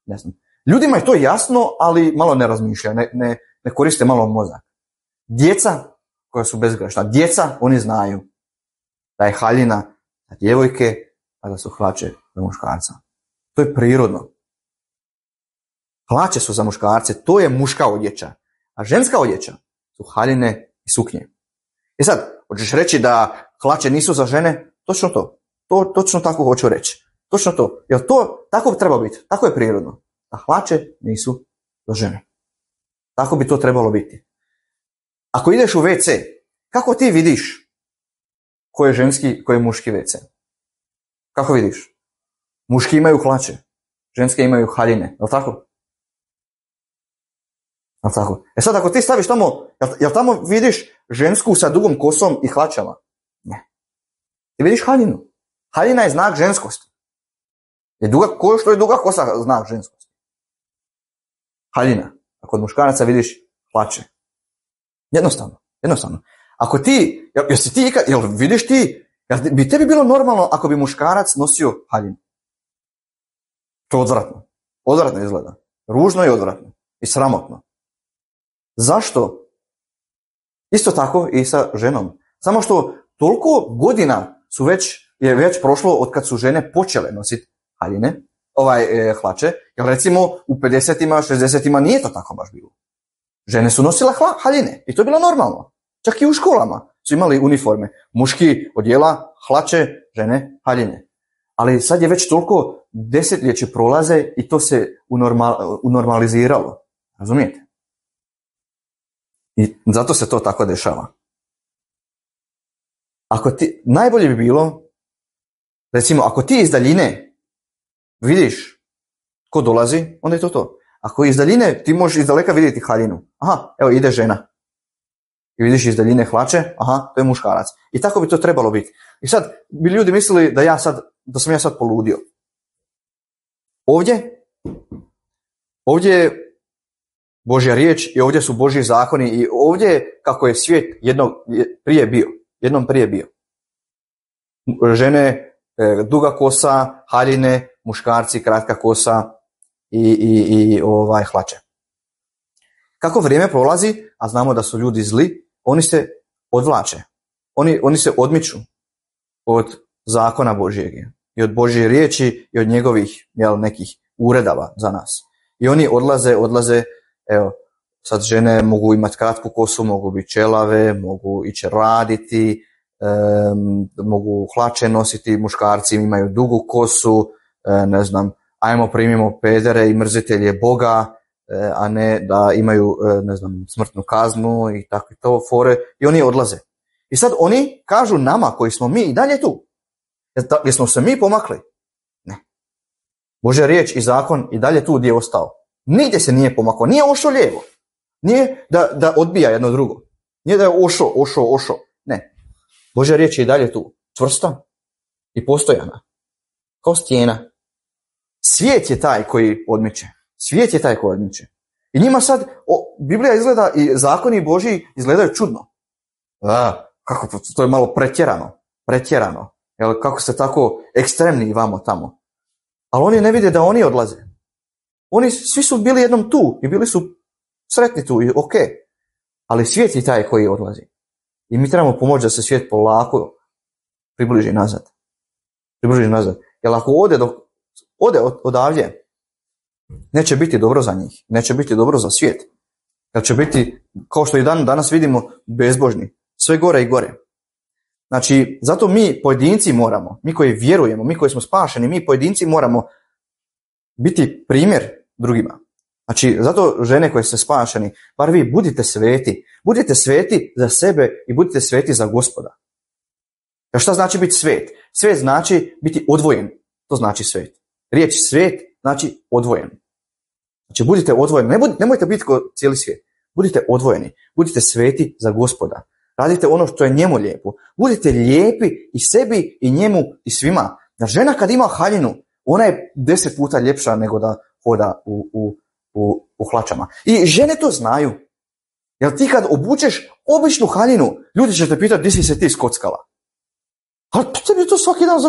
ne znam, ljudima je to jasno, ali malo ne razmišljaju, ne koriste malo mozak. Djeca koja su bezgrešna, djeca, oni znaju da je haljina za djevojke, a da su hlače za muškarca. To je prirodno. Hlače su za muškarce, to je muška odjeća. A ženska odjeća su haljine i suknje. I sad, hoćeš reći da hlače nisu za žene? Točno to. Točno tako hoću reći. Točno to. Jer to tako treba biti. Tako je prirodno. A hlače nisu za žene. Tako bi to trebalo biti. Ako ideš u WC, kako ti vidiš ko je ženski, ko je muški WC? Kako vidiš? Muški imaju hlače, ženske imaju haljine. Je li tako? E sad ako ti staviš tamo, jel tamo vidiš žensku sa dugom kosom i hlačama? Ne. Ti vidiš haljinu. Haljina je znak ženskosti. Ko što je duga kosa znak ženskosti? Haljina. A kod muškaraca vidiš hlače. Jednostavno. Ako ti, jel vidiš ti, jel bi tebi bilo normalno ako bi muškarac nosio haljinu? To je odvratno. Odvratno izgleda. Ružno i odvratno. I sramotno. Zašto? Isto tako i sa ženom. Samo što toliko godina je već prošlo od kad su žene počele nositi haljine, hlače, jer recimo u 50-ima, 60-ima nije to tako baš bilo. Žene su nosile haljine i to je bilo normalno. Čak i u školama su imali uniforme. Muški odjela, hlače, žene, haljine. Ali sad je već toliko desetljeće prolaze i to se unormaliziralo. Razumijete? I zato se to tako dešava. Najbolje bi bilo, recimo, ako ti iz daljine vidiš ko dolazi, onda je to. Ako iz daljine ti možeš iz daleka vidjeti haljinu. Aha, evo ide žena. I vidiš iz daljine hlače, aha, to je muškarac. I tako bi to trebalo biti. I sad bi ljudi mislili da sam ja sad poludio. Ovdje je Božja riječ i ovdje su Božji zakoni i ovdje je kako je svijet jednom prije bio. Žene, duga kosa, haljine, muškarci, kratka kosa i hlače. Kako vrijeme prolazi, a znamo da su ljudi zli oni se odvlače. Oni se odmiču od zakona Božjeg i od Božje riječi i od njegovih nekih uredava za nas. I oni odlaze, evo, sad žene mogu imati kratku kosu, mogu biti čelave, mogu ići raditi, mogu hlače nositi, muškarci imaju dugu kosu, ne znam, ajmo primimo pedere i mrzitelje Boga, a ne da imaju, ne znam, smrtnu kaznu i takve to fore, i oni odlaze. I sad oni kažu nama koji smo mi i dalje tu. Jesmo se mi pomakli? Ne. Božja riječ i zakon i dalje tu gdje je ostao. Nigdje se nije pomakao, nije ošao lijevo. Nije da odbija jedno drugo. Nije da je ošao. Ne. Božja riječ je i dalje tu. Čvrsta i postojana. Kao stijena. Svijet je taj koji odmiče. I njima sad Biblija izgleda i zakoni Božji izgledaju čudno. Kako to je malo pretjerano. Jel, kako ste tako ekstremni vamo tamo. Ali oni ne vide da oni odlaze. Oni svi su bili jednom tu i bili su sretni tu i ok. Ali svijet je taj koji odlazi. I mi trebamo pomoći da se svijet polako približi nazad. Jer ako ode odavdje, neće biti dobro za njih. Neće biti dobro za svijet. Jer će biti, kao što i danas vidimo, bezbožni. Sve gore i gore. Znači, zato mi pojedinci moramo, mi koji vjerujemo, mi koji smo spašeni, mi pojedinci moramo biti primjer drugima. Znači, zato žene koje ste spašeni, bar vi budite sveti. Budite sveti za sebe i budite sveti za Gospoda. A šta znači biti svet? Svet znači biti odvojen. To znači svet. Riječ svet znači odvojen. Znači, budite odvojeni. Nemojte biti kao cijeli svijet. Budite odvojeni. Budite sveti za Gospoda. Radite ono što je njemu lijepo. Budite lijepi i sebi i njemu i svima. Da žena kad ima haljinu, ona je 10 puta ljepša nego da hoda u hlačama. I žene to znaju. Jer ti kad obučeš običnu haljinu, ljudi će te pitati gdje si se ti skockala. Ali tebi to svaki dan,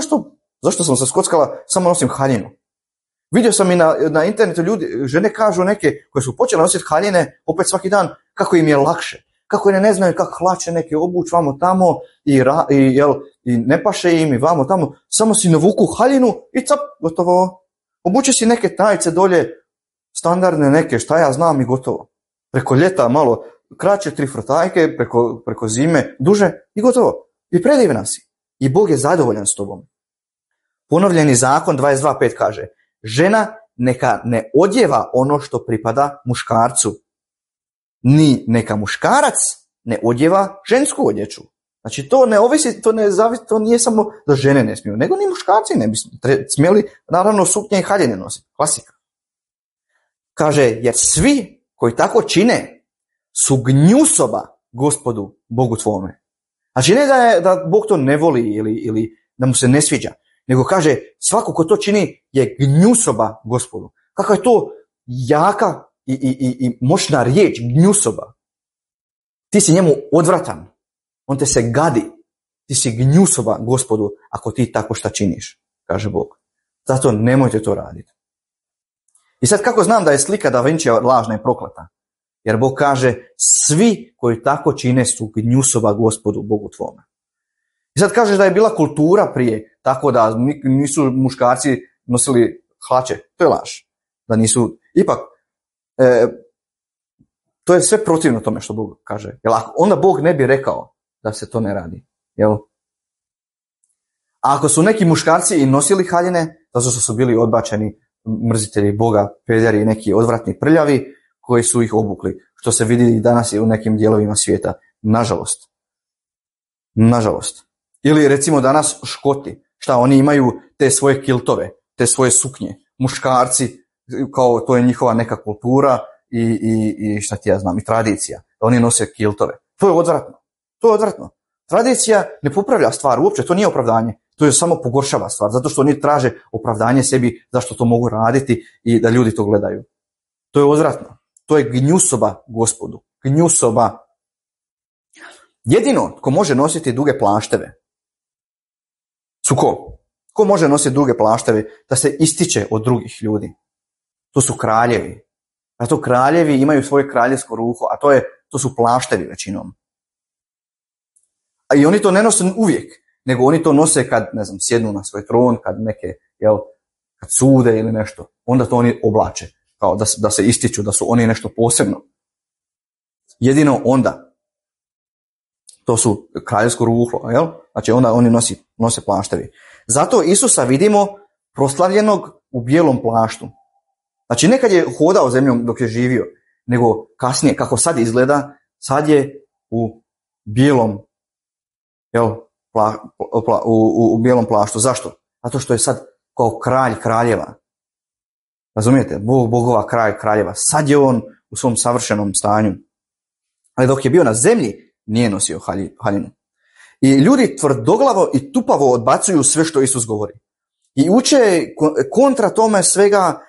zašto sam se skockala, samo nosim haljinu. Vidio sam i na internetu žene kažu neke koje su počele nositi haljine opet svaki dan kako im je lakše. Kako ne znaju kako hlače neke obuć vamo tamo i ne paše im i vamo tamo, samo si navuku haljinu i cap, gotovo. Obuče si neke tajice dolje, standardne neke, šta ja znam i gotovo. Preko ljeta malo kraće 3 frotajke, preko zime duže i gotovo. I predivna si. I Bog je zadovoljan s tobom. Ponovljeni zakon 22.5 kaže, žena neka ne odjeva ono što pripada muškarcu, ni neka muškarac ne odjeva žensku odjeću. Znači to ne ovisi, to nije samo da žene ne smiju, nego ni muškarci ne bi smjeli, naravno, suknje i haljine nositi. Klasika. Kaže, jer svi koji tako čine su gnjusoba Gospodu, Bogu tvome. Znači ne da Bog to ne voli ili da mu se ne sviđa, nego kaže, svako ko to čini je gnjusoba Gospodu. Kakva je to jaka i moćna riječ, gnjusoba. Ti si njemu odvratan. On te se gadi. Ti si gnjusoba Gospodu ako ti tako šta činiš, kaže Bog. Zato nemojte to raditi. I sad kako znam da je slika Da Vincija lažna i prokleta? Jer Bog kaže, svi koji tako čine su gnjusoba Gospodu, Bogu tvome. I sad kažeš da je bila kultura prije, tako da nisu muškarci nosili hlače. To je laž. Da nisu, ipak, to je sve protivno tome što Bog kaže. Jer onda Bog ne bi rekao da se to ne radi. Jel? A ako su neki muškarci i nosili haljine, zato što su bili odbačeni mrzitelji Boga, pederi i neki odvratni prljavi, koji su ih obukli, što se vidi i danas i u nekim dijelovima svijeta. Nažalost. Ili recimo danas Škoti, šta oni imaju te svoje kiltove, te svoje suknje. Muškarci, kao to je njihova neka kultura i šta ti ja znam, i tradicija. Oni nose kiltove. To je odvratno. Tradicija ne popravlja stvar uopće, to nije opravdanje. To je samo pogoršava stvar, zato što oni traže opravdanje sebi zašto to mogu raditi i da ljudi to gledaju. To je odvratno. To je gnjusoba Gospodu. Gnjusoba. Jedino ko može nositi duge plašteve su ko? Ko može nositi duge plašteve da se ističe od drugih ljudi? To su kraljevi. A to kraljevi imaju svoje kraljevsko ruho, a to su plaštevi većinom. A i oni to ne nose uvijek, nego oni to nose kad, ne znam, sjednu na svoj tron, kad neke, kad sude ili nešto. Onda to oni oblače, kao da se ističu, da su oni nešto posebno. Jedino onda. To su kraljevsko ruhlo, jel? Znači onda oni nose plaštevi. Zato Isusa vidimo proslavljenog u bijelom plaštu. Znači nekad je hodao zemljom dok je živio, nego kasnije, kako sad izgleda, sad je u bijelom, u bijelom plaštu. Zašto? Zato što je sad kao kralj kraljeva. Razumijete? Bog bogova, kralj kraljeva. Sad je on u svom savršenom stanju. Ali dok je bio na zemlji, nije nosio haljinu. I ljudi tvrdoglavo i tupavo odbacuju sve što Isus govori. I uče kontra tome svega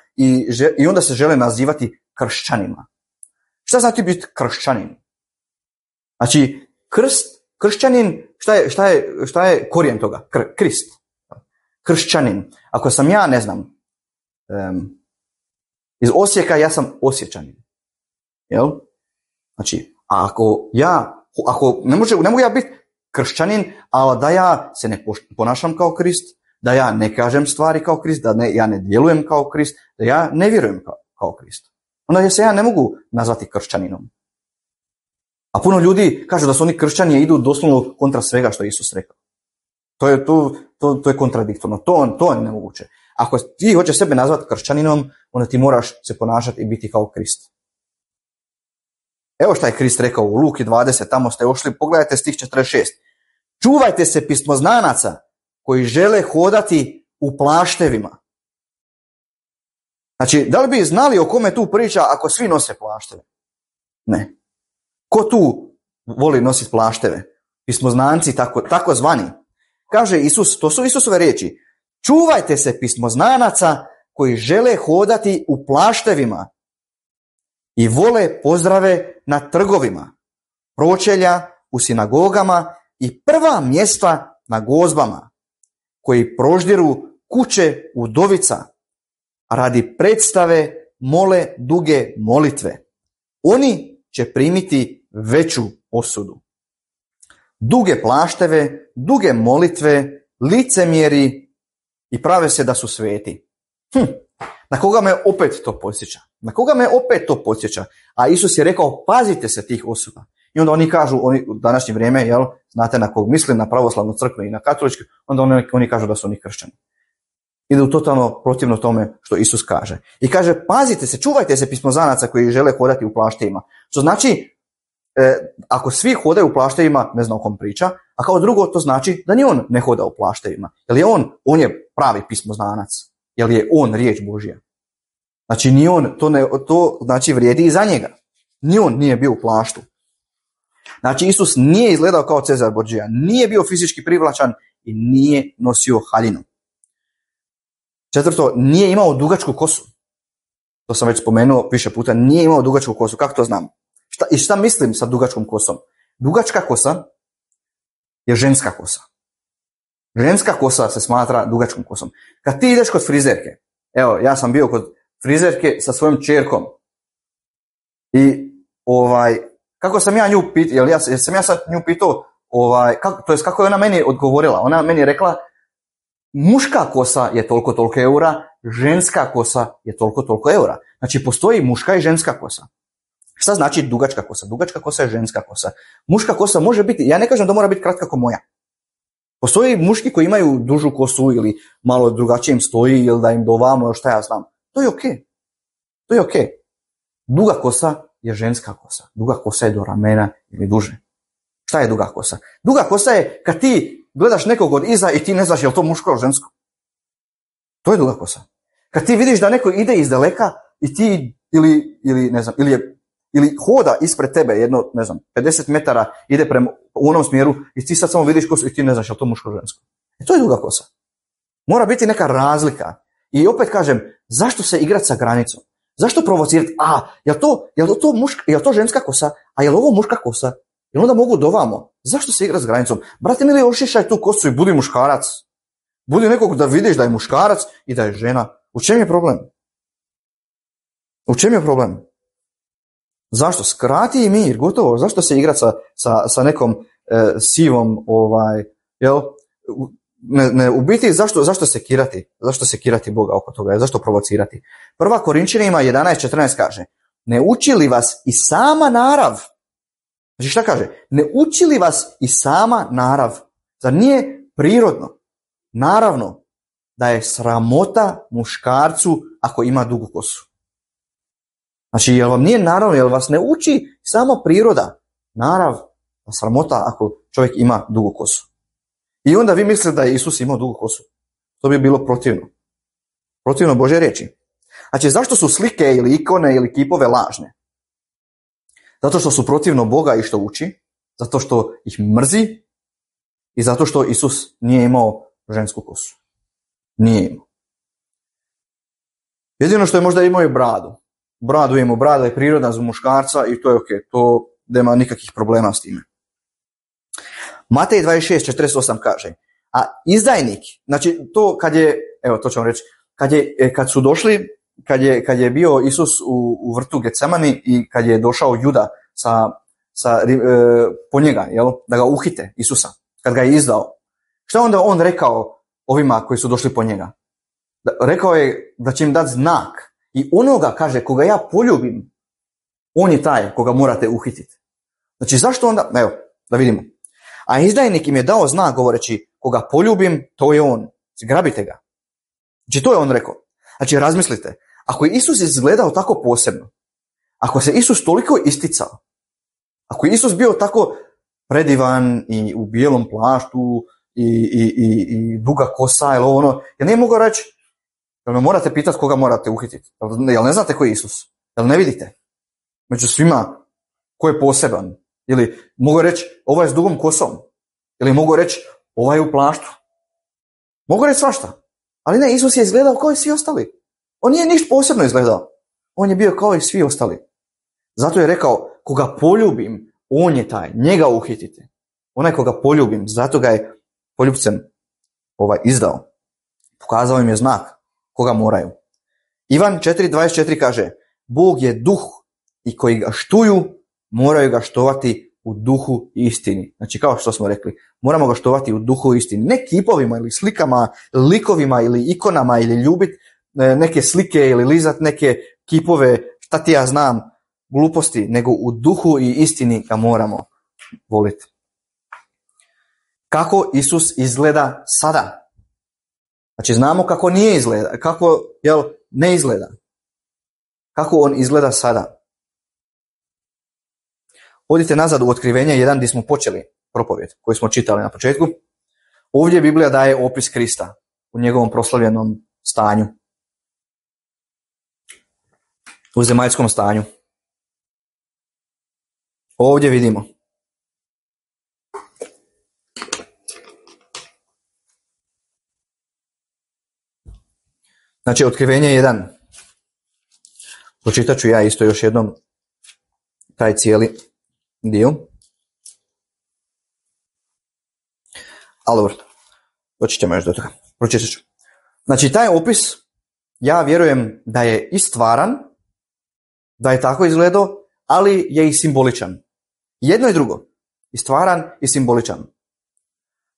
i onda se žele nazivati kršćanima. Šta znači biti kršćanin? Znači, kršćanin, šta je korijen toga? Krist. Kršćanin. Ako sam ja, ne znam, iz Osijeka, ja sam Osječanin. Jel? Znači, ne mogu ja biti kršćanin, ali da ja se ne ponašam kao Krist, da ja ne kažem stvari kao Krist, ja ne djelujem kao Krist, da ja ne vjerujem kao Krist. Onda se ja ne mogu nazvati kršćaninom. A puno ljudi kažu da su oni kršćani i idu doslovno kontra svega što je Isus rekao. To je kontradiktorno, to je nemoguće. Ako ti hoćeš sebe nazvati kršćaninom, onda ti moraš se ponašati i biti kao Krist. Evo šta je Krist rekao u Luki 20, tamo ste ošli, pogledajte stih 46. Čuvajte se pismoznanaca koji žele hodati u plaštevima. Znači, da li bi znali o kome tu priča ako svi nose plašteve? Ne. Ko tu voli nositi plašteve? Pismoznanci, tako zvani. Kaže Isus, to su Isusove riječi. Čuvajte se pismoznanaca koji žele hodati u plaštevima i vole pozdrave na trgovima, pročelja u sinagogama i prva mjesta na gozbama, koji proždiru kuće udovica, a radi predstave mole duge molitve. Oni će primiti veću osudu. Duge plašteve, duge molitve, licemjeri i prave se da su sveti. Na koga me opet to podsjeća? A Isus je rekao, pazite se tih osoba. I onda oni kažu, u današnje vrijeme, znate na kog mislim, na pravoslavnu crkvu i na katoličku, onda oni kažu da su oni kršćani. Idu totalno protivno tome što Isus kaže. I kaže, pazite se, čuvajte se pismoznanaca koji žele hodati u plaštevima. Što znači, ako svi hodaju u plaštevima, ne znam o kom priča, a kao drugo to znači da ni on ne hoda u plaštevima. Jer je on je pravi pismoznanac. Jer je on riječ Božja. Znači ni on, to znači vrijedi i za njega. Ni on nije bio u plaštu. Znači Isus nije izgledao kao Cezar Borgia, nije bio fizički privlačan i nije nosio haljinu. 4. Nije imao dugačku kosu. To sam već spomenuo više puta, nije imao dugačku kosu. Kako to znam? Šta mislim sa dugačkom kosom? Dugačka kosa je ženska kosa. Ženska kosa se smatra dugačkom kosom. Kad ti ideš kod frizerke, evo, ja sam bio kod frizerke sa svojom čerkom i kako sam ja nju pitao, jer sam ja sad nju pitao, kako je ona meni odgovorila? Ona meni je rekla, muška kosa je toliko eura, ženska kosa je toliko eura. Znači, postoji muška i ženska kosa. Šta znači dugačka kosa? Dugačka kosa je ženska kosa. Muška kosa može biti, ja ne kažem da mora biti kratka kao moja. Postoji muški koji imaju dužu kosu ili malo drugačije im stoji ili da im dovamo, šta ja znam. To je ok. Duga kosa je ženska kosa. Duga kosa je do ramena ili duže. Šta je duga kosa? Duga kosa je kad ti gledaš nekog od iza i ti ne znaš je li to muško ili žensko. To je duga kosa. Kad ti vidiš da neko ide iz daleka i ti ili ne znam, ili hoda ispred tebe jedno, ne znam, 50 metara ide u onom smjeru i ti sad samo vidiš kosu i ti ne znaš je li to muško ili žensko. To je duga kosa. Mora biti neka razlika. I opet kažem, zašto se igrati sa granicom? Zašto provocirati? Je li to ženska kosa? A je li ovo muška kosa? Jel onda mogu dovamo? Zašto se igrati s granicom? Brate mili, ošišaj tu kosu i budi muškarac. Budi nekog da vidiš da je muškarac i da je žena. U čem je problem? Zašto? Skrati i mir, gotovo. Zašto se igrati sa nekom sivom, jel? U biti zašto sekirati? Zašto sekirati Boga oko toga? Zašto provocirati? 1. Korinčanima 11:14 kaže: ne uči li vas i sama narav? Znači šta kaže? Ne uči li vas i sama narav? Zar nije prirodno, naravno, da je sramota muškarcu ako ima dugu kosu? Znači, jel vam nije naravno, jel vas ne uči sama priroda, narav, sramota ako čovjek ima dugu kosu? I onda vi mislite da je Isus imao dugu kosu. To bi bilo protivno. Protivno Božje riječi. Znači, zašto su slike ili ikone ili kipove lažne? Zato što su protivno Boga i što uči, zato što ih mrzi i zato što Isus nije imao žensku kosu. Nije imao. Jedino što je možda imao je bradu. Bradu imamo, brada je prirodna za muškarca i to je ok, to nema nikakvih problema s time. Matej 26:48 kaže: a izdajnik, znači to kad je, evo to ću vam reći, kad su došli, kad je bio Isus u vrtu Getsemani i kad je došao Juda po njega, jel, da ga uhite, Isusa, kad ga je izdao, šta onda on rekao ovima koji su došli po njega? Rekao je da će im dati znak i onoga, kaže, koga ja poljubim, on je taj koga morate uhititi. Znači zašto onda, evo, da vidimo. A izdajnik im je dao znak govoreći: koga poljubim, to je on. Grabite ga. Znači to je on rekao. Znači razmislite, ako je Isus izgledao tako posebno, ako se Isus toliko isticao, ako je Isus bio tako predivan i u bijelom plaštu i duga kosa ili ono, ja ne mogu reći, jel me morate pitati koga morate uhititi? Jel ne znate ko je Isus? Jel ne vidite? Među svima ko je poseban? Ili mogu reći ovaj je s dugom kosom? Ili mogu reći ovaj je u plaštu? Mogu reći svašta. Ali ne, Isus je izgledao kao i svi ostali. On nije ništa posebno izgledao. On je bio kao i svi ostali. Zato je rekao: koga poljubim, on je taj, njega uhitite. Onaj koga poljubim, zato ga je poljubcem izdao. Pokazao im je znak koga moraju. Ivan 4:24 kaže: Bog je duh i koji ga štuju moraju ga štovati u duhu i istini. Znači kao što smo rekli, moramo ga štovati u duhu i istini. Ne kipovima ili slikama, likovima ili ikonama ili ljubit neke slike ili lizat neke kipove, šta ti ja znam, gluposti, nego u duhu i istini ga moramo voliti. Kako Isus izgleda sada? Znači znamo kako nije izgleda, kako ne izgleda. Kako on izgleda sada? Odite nazad u Otkrivenje 1 gdje smo počeli propovjed koju smo čitali na početku. Ovdje Biblija daje opis Krista u njegovom proslavljenom stanju. U zemaljskom stanju. Ovdje vidimo. Znači, Otkrivenje 1. Pročitat ću ja isto još jednom taj cijeli dio. Ali dobro, doći ćemo još do toga. Pročitat ću. Znači, taj opis, ja vjerujem da je i stvaran, da je tako izgledao, ali je i simboličan. Jedno i drugo. I stvaran i simboličan.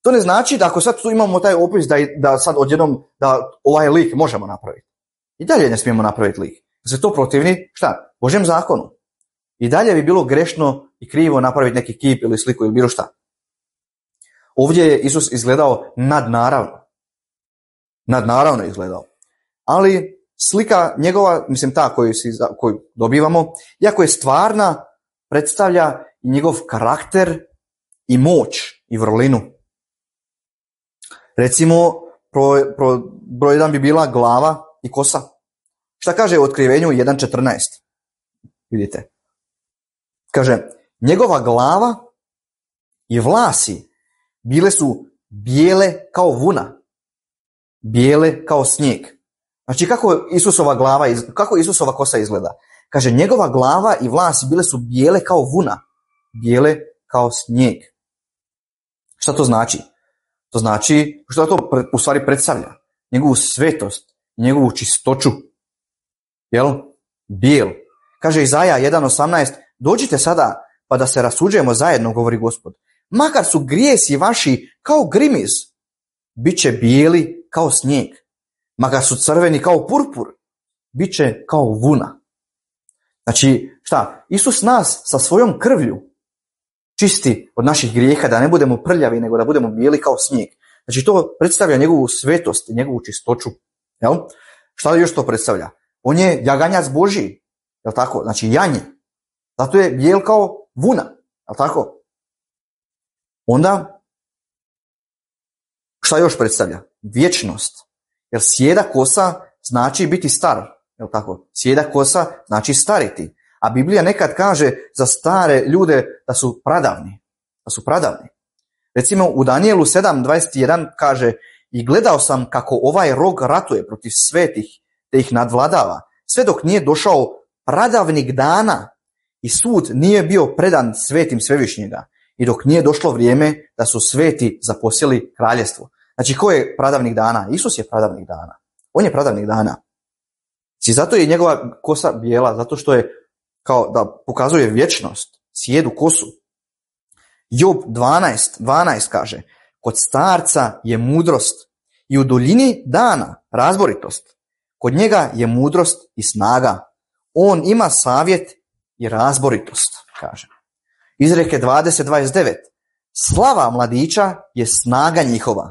To ne znači da ako sad tu imamo taj opis da sad odjednom da ovaj lik možemo napraviti. I dalje ne smijemo napraviti lik. Da se to protivni, šta? Božjem zakonu. I dalje bi bilo grešno i krivo napraviti neki kip ili sliku ili bilo šta. Ovdje je Isus izgledao nadnaravno. Nadnaravno je izgledao. Ali slika njegova, mislim ta koju dobivamo, iako je stvarna, predstavlja i njegov karakter i moć i vrlinu. Recimo, broj 1 bi bila glava i kosa. Šta kaže u Otkrivenju 1.14? Vidite. Kaže, njegova glava i vlasi bile su bijele kao vuna. Bijele kao snijeg. Znači kako Isusova kosa izgleda? Kaže, njegova glava i vlasi bile su bijele kao vuna. Bijele kao snijeg. Šta to znači? To znači, što to u stvari predstavlja? Njegovu svetost, njegovu čistoću. Jel? Bijel. Kaže Izaja 1.18, dođite sada pa da se rasuđujemo zajedno, govori Gospod. makar su grijesi vaši kao grimiz, bit će bijeli kao snijeg. Makar su crveni kao purpur, bit će kao vuna. Znači, šta? Isus nas sa svojom krvlju čisti od naših grijeha, da ne budemo prljavi, nego da budemo bijeli kao snijeg. Znači, to predstavlja njegovu svetost i njegovu čistoću. Jel? Šta još to predstavlja? On je jaganjac Božji. Jel tako? Znači, janje. Zato je bijel kao vuna. Jel tako? Onda, šta još predstavlja? Vječnost. Jer sjeda kosa znači biti star. Jel tako? Sjeda kosa znači stariti. A Biblija nekad kaže za stare ljude da su pradavni. Da su pradavni. Recimo u Danijelu 7.21 kaže: i gledao sam kako ovaj rog ratuje protiv svetih, te ih nadvladava, sve dok nije došao pradavnik dana i sud nije bio predan svetim Svevišnjega, i dok nije došlo vrijeme da su sveti zaposjeli kraljevstvo. Znači, ko je pradavnik dana? Isus je pradavnik dana. On je pradavnik dana. I zato je njegova kosa bijela, zato što je kao da pokazuje vječnost, sjedu kosu. Job 12 kaže: kod starca je mudrost i u duljini dana razboritost. Kod njega je mudrost i snaga. On ima savjet i razboritost, kaže. Izreke 20.29. Slava mladića je snaga njihova,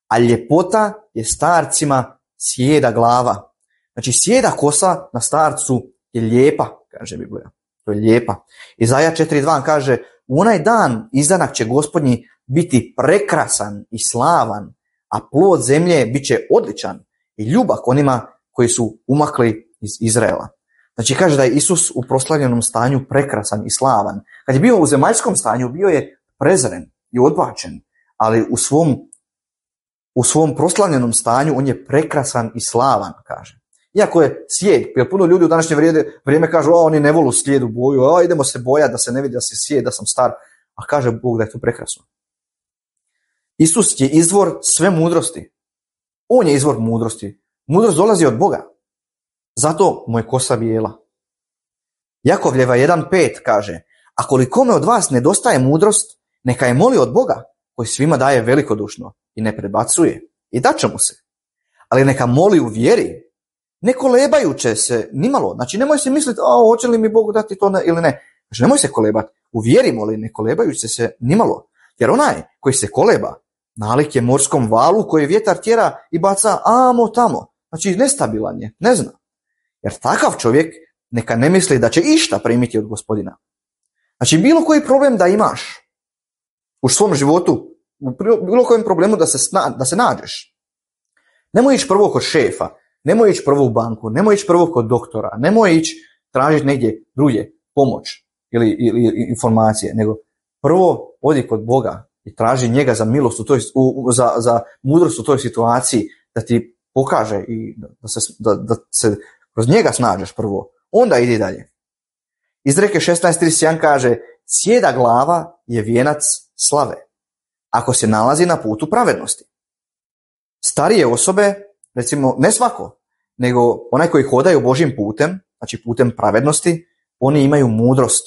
a ljepota je starcima sjeda glava. Znači, sjeda kosa na starcu je lijepa, kaže Biblija. To je lijepa. Izaja 4.2 kaže: u onaj dan izdanak će Gospodnji biti prekrasan i slavan, a plod zemlje bit će odličan i ljubak onima koji su umakli iz Izraela. Znači, kaže da je Isus u proslavljenom stanju prekrasan i slavan. Kad je bio u zemaljskom stanju, bio je prezren i odbačen, ali u svom proslavljenom stanju on je prekrasan i slavan, kaže. Iako je sjed, jer puno ljudi u današnje vrijeme kažu: oni ne volu slijedu boju, idemo se bojati da se ne vidi da se sjed, da sam star, a kaže Bog da je to prekrasno. Isus je izvor sve mudrosti. On je izvor mudrosti. Mudrost dolazi od Boga. Zato mu je kosa bijela. Jakovljeva 1.5 kaže: a kolikome od vas nedostaje mudrost, neka je moli od Boga, koji svima daje velikodušno i ne predbacuje, i daće mu se. Ali neka moli u vjeri, ne kolebajuće se nimalo. Znači, nemoj se misliti: hoće li mi Bog dati to ili ne. Znači, nemoj se kolebati. U vjeri moli, ne kolebajući se nimalo. Jer onaj koji se koleba, nalik je morskom valu koji vjetar tjera i baca amo tamo. Znači, nestabilan je, ne zna. Jer takav čovjek neka ne misli da će išta primiti od Gospodina. Znači, bilo koji problem da imaš u svom životu, u bilo kojem problemu da se nađeš, nemoj ići prvo kod šefa, nemoj ići prvo u banku, nemoj ići prvo kod doktora, nemoj ići tražiti negdje drugdje pomoć ili informacije, nego prvo odi kod Boga i traži njega za milost za mudrost u toj situaciji, da ti pokaže i da se kroz njega snađeš prvo, onda idi dalje. Izreke 16.31 kaže: sjeda glava je vijenac slave, ako se nalazi na putu pravednosti. Starije osobe, recimo ne svako, nego onaj koji hodaju Božjim putem, znači putem pravednosti, oni imaju mudrost.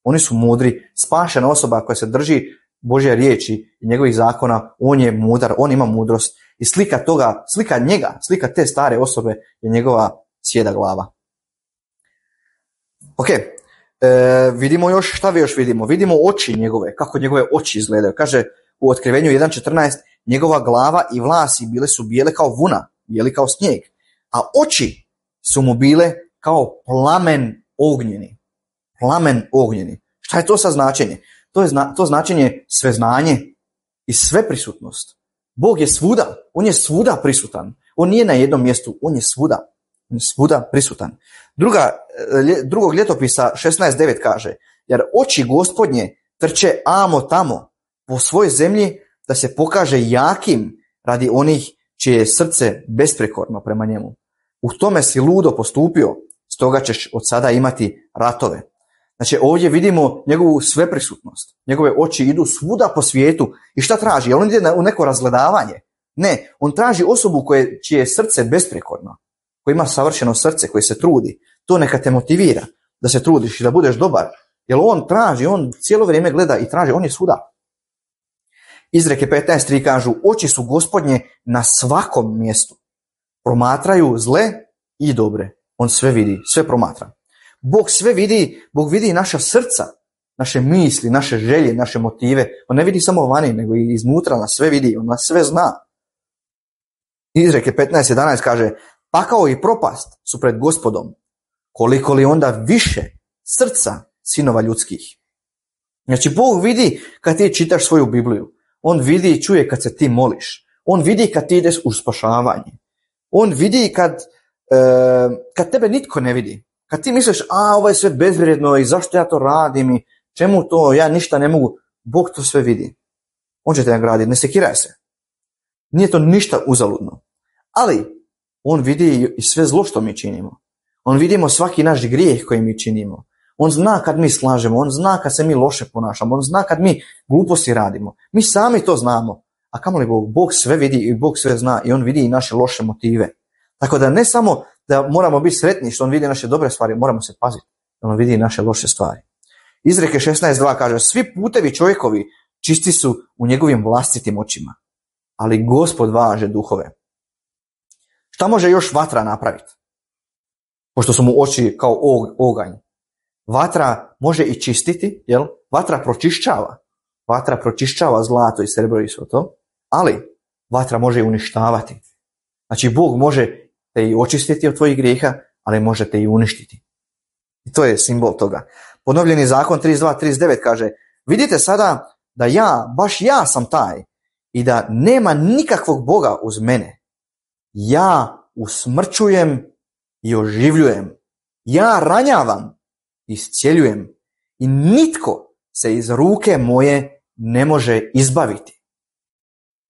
Oni su mudri. Spašena osoba koja se drži Božje riječi i njegovih zakona, on je mudar, on ima mudrost. I slika njega, slika te stare osobe je njegova sjeda glava. Ok, vidimo još, šta još vidimo? Vidimo oči njegove, kako njegove oči izgledaju. Kaže u Otkrivenju 1.14: njegova glava i vlasi bile su bijele kao vuna, bijeli kao snijeg, a oči su mu bile kao plamen ognjeni. Plamen ognjeni. Šta je to sa značenje? To značenje sveznanje i sveprisutnost. Bog je svuda, on je svuda prisutan. On nije na jednom mjestu, on je svuda prisutan. Drugog ljetopisa 16.9 kaže: jer oči Gospodnje trče amo tamo po svojoj zemlji, da se pokaže jakim radi onih čije je srce besprekorno prema njemu. U tome si ludo postupio, stoga ćeš od sada imati ratove. Znači, ovdje vidimo njegovu sveprisutnost. Njegove oči idu svuda po svijetu. I šta traži? On ide u neko razgledavanje? Ne, on traži osobu čije je srce besprekorno, koji ima savršeno srce, koji se trudi. To neka te motivira da se trudiš i da budeš dobar. Jer on traži, on cijelo vrijeme gleda i traži, on je svuda. Izreke 15.3 kažu, oči su Gospodnje na svakom mjestu. Promatraju zle i dobre. On sve vidi, sve promatra. Bog sve vidi, Bog vidi naša srca, naše misli, naše želje, naše motive. On ne vidi samo vani, nego i iznutra nas sve vidi, on nas sve zna. Izreke 15.11 kaže, pakao i propast su pred Gospodom, koliko li onda više srca sinova ljudskih. Znači, Bog vidi kad ti čitaš svoju Bibliju. On vidi i čuje kad se ti moliš. On vidi kad ti ideš u spašavanje. On vidi kad tebe nitko ne vidi. Kad ti misliš, ovo je sve bezvrijedno i zašto ja to radim i čemu to, ja ništa ne mogu. Bog to sve vidi. On će te nagraditi, ne sekiraj se. Nije to ništa uzaludno. Ali on vidi i sve zlo što mi činimo. On vidimo svaki naš grijeh koji mi činimo. On zna kad mi slažemo, on zna kad se mi loše ponašamo, on zna kad mi gluposti radimo. Mi sami to znamo. A kamoli Bog? Bog sve vidi i Bog sve zna i on vidi i naše loše motive. Tako da ne samo da moramo biti sretni što on vidi naše dobre stvari, moramo se paziti da on vidi i naše loše stvari. Izreke 16.2 kaže, svi putevi čovjekovi čisti su u njegovim vlastitim očima, ali Gospod važe duhove. Šta može još vatra napraviti? Pošto su mu oči kao oganj. Vatra može i čistiti, jel? Vatra pročišćava. Vatra pročišćava zlato i srebro i sve to, ali vatra može i uništavati. Znači, Bog može te i očistiti od tvojih grijeha, ali može te i uništiti. I to je simbol toga. Ponovljeni zakon 32.39 kaže, vidite sada da baš ja sam taj i da nema nikakvog Boga uz mene. Ja usmrćujem i oživljujem. Ja ranjavam, iscjeljujem i nitko se iz ruke moje ne može izbaviti.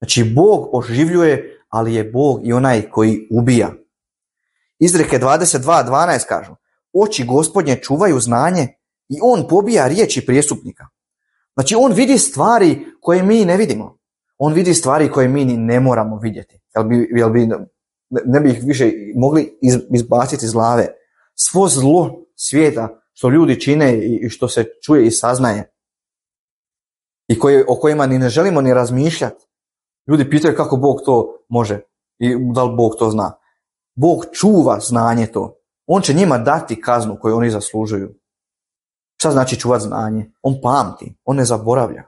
Znači, Bog oživljuje, ali je Bog i onaj koji ubija. Izreke 22.12 kažu, oči Gospodnje čuvaju znanje i on pobija riječi prijestupnika. Znači, on vidi stvari koje mi ne vidimo. On vidi stvari koje mi ni ne moramo vidjeti. Ne bi ih više mogli izbaciti iz glave. Svo zlo svijeta što ljudi čine i što se čuje i saznaje i o kojima ni ne želimo ni razmišljati. Ljudi pitaju kako Bog to može i da li Bog to zna. Bog čuva znanje to. On će njima dati kaznu koju oni zaslužuju. Šta znači čuvati znanje? On pamti, on ne zaboravlja.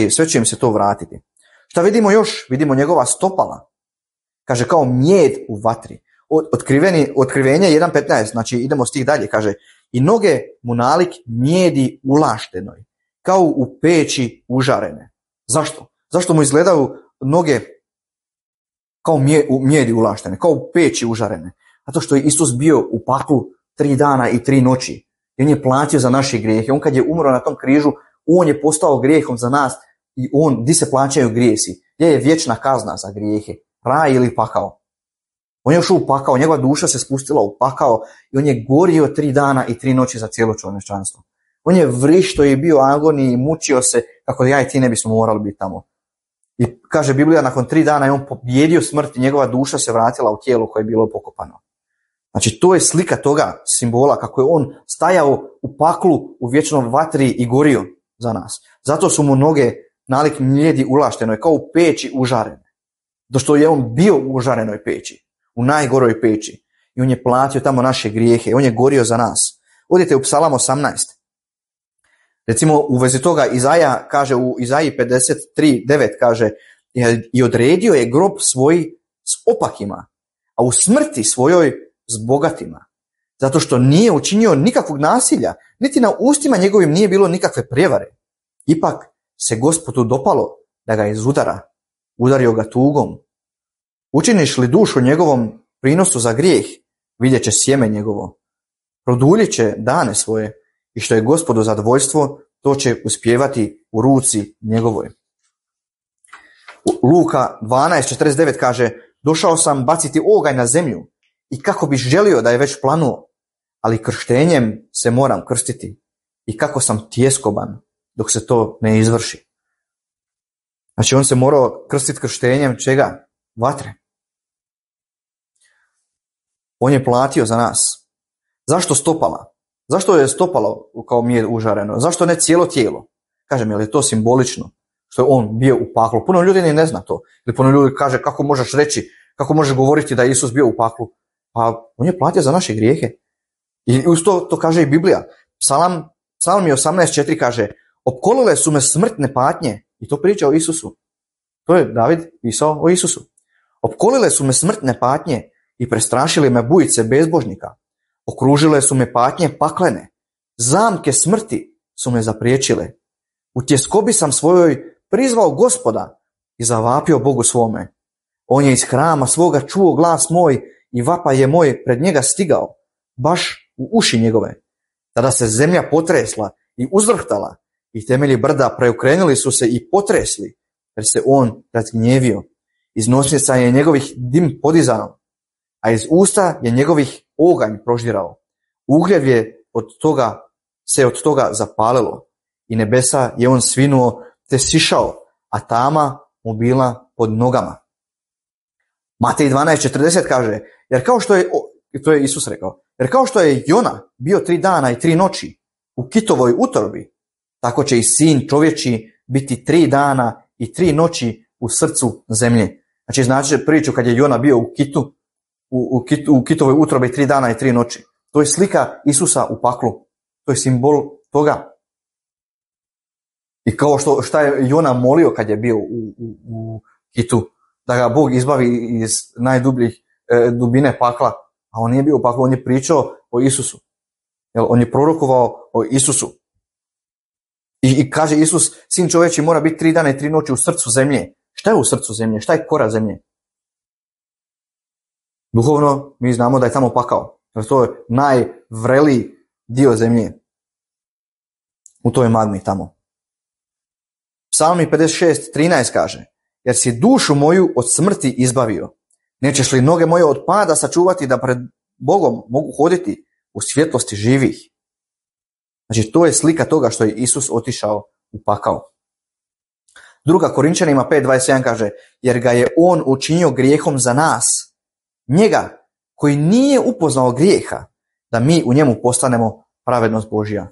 Sve će im se to vratiti. Šta vidimo još? Vidimo njegova stopala. Kaže kao mjed u vatri. Otkrivenje 1.15, znači idemo stih dalje, kaže i noge mu nalik mjedi ulaštenoj, kao u peći užarene. Zašto? Zašto mu izgledaju noge kao mjedi ulaštene, kao u peći užarene? Zato što je Isus bio u paklu 3 dana i 3 noći. I on je platio za naše grijehe. On kad je umro na tom križu, on je postao grijehom za nas i di se plaćaju grijesi? Gdje je vječna kazna za grijehe? Raj ili pakao? On je ušao u pakao, njegova duša se spustila u pakao i on je gorio 3 dana i 3 noći za cijelo čovječanstvo. On je vrišto i bio u agoniji i mučio se kako ja i ti ne bismo morali biti tamo. I kaže Biblija, nakon 3 dana je on pobjedio smrt i njegova duša se vratila u tijelo koje je bilo pokopano. Znači, to je slika toga simbola kako je on stajao u paklu u vječnom vatri i gorio za nas. Zato su mu noge nalik mjedi ulaštenoj, kao u peći užarene. Do što je on bio u užarenoj peći, u najgoroj peći. I on je platio tamo naše grijehe, on je gorio za nas. Odite u Psalam 18. Recimo u vezi toga Izaja kaže u Izaji 53.9 kaže i odredio je grob svoj s opakima, a u smrti svojoj s bogatima. Zato što nije učinio nikakvog nasilja, niti na ustima njegovim nije bilo nikakve prijevare. Ipak se Gospodu dopalo da ga izudara, udario ga tugom. Učiniš li dušu njegovom prinosu za grijeh, vidjet će sjeme njegovo. Produljit će dane svoje i što je Gospodu zadovoljstvo, to će uspjevati u ruci njegovoj. Luka 12.49 kaže, došao sam baciti oganj na zemlju i kako bi želio da je već planuo, ali krštenjem se moram krstiti i kako sam tjeskoban dok se to ne izvrši. Znači on se morao krstiti krštenjem čega? Vatre. On je platio za nas. Zašto stopala? Zašto je stopalo kao mjed užareno? Zašto ne cijelo tijelo? Kažem, je li to simbolično? što je on bio u paklu. Puno ljudi ne zna to. Ili puno ljudi kaže kako možeš reći, kako možeš govoriti da je Isus bio u paklu. Pa on je platio za naše grijehe. I uz to kaže i Biblija. Psalm 18:4 kaže, opkolile su me smrtne patnje. I to priča o Isusu. To je David pisao o Isusu. Opkolile su me smrtne patnje i prestrašili me bujice bezbožnika. Okružile su me patnje paklene. Zamke smrti su me zapriječile. U tjeskobi sam svojoj prizvao Gospoda i zavapio Bogu svome. On je iz hrama svoga čuo glas moj i vapaj je moj pred njega stigao, baš u uši njegove. Tada se zemlja potresla i uzvrhtala i temelji brda preokrenuli su se i potresli, jer se on razgnjevio. Iz nosnica je njegovih dim podizano, a iz usta je njegovih oganj proždirao. Ugljev je od toga zapalilo i nebesa je on svinuo te sišao, a tama mu bila pod nogama. Matej 12:40 kaže, jer kao što je, to je Isus rekao, jer kao što je Jona bio 3 dana i 3 noći u kitovoj utrobi, tako će i sin čovječji biti 3 dana i 3 noći u srcu zemlje. Znači priču kad je Jona bio u kitovoj utrobi 3 dana i 3 noći. To je slika Isusa u paklu. To je simbol toga. I kao šta je Jona molio kad je bio u kitu, da ga Bog izbavi iz najdubljih dubine pakla, a on nije bio u paklu, on je pričao o Isusu. On je prorokovao o Isusu. I kaže Isus, sin čovječi mora biti 3 dana i 3 noći u srcu zemlje. Šta je u srcu zemlje? Šta je kora zemlje? Duhovno mi znamo da je tamo pakao. To je najvreliji dio zemlje. U toj magmi tamo. Psalmi 56:13 kaže, jer si dušu moju od smrti izbavio. Nećeš li noge moje od pada sačuvati da pred Bogom mogu hoditi u svjetlosti živih? Znači to je slika toga što je Isus otišao u pakao. 2. Korinčanima 5:21 kaže, jer ga je on učinio grijehom za nas, njega koji nije upoznao grijeha, da mi u njemu postanemo pravednost Božja.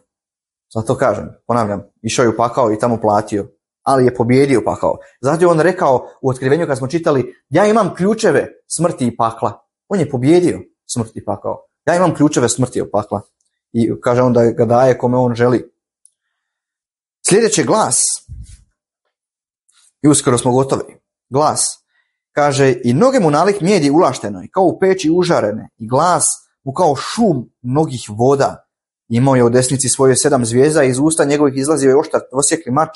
Zato kažem, ponavljam, išao je u pakao i tamo platio, ali je pobjedio pakao. Zato je on rekao u otkrivenju kad smo čitali, ja imam ključeve smrti i pakla. On je pobjedio smrt i pakao. Ja imam ključeve smrti i pakla. I kaže on da ga daje kome on želi. Sljedeći glas, i uskoro smo gotovi, glas, kaže, i noge mu nalik mijedi ulaštenoj, kao u peći užarene, i glas mu kao šum mnogih voda. Imao je u desnici svoje 7 zvijezda i iz usta njegovih izlazio je oštar dvosjekli mač,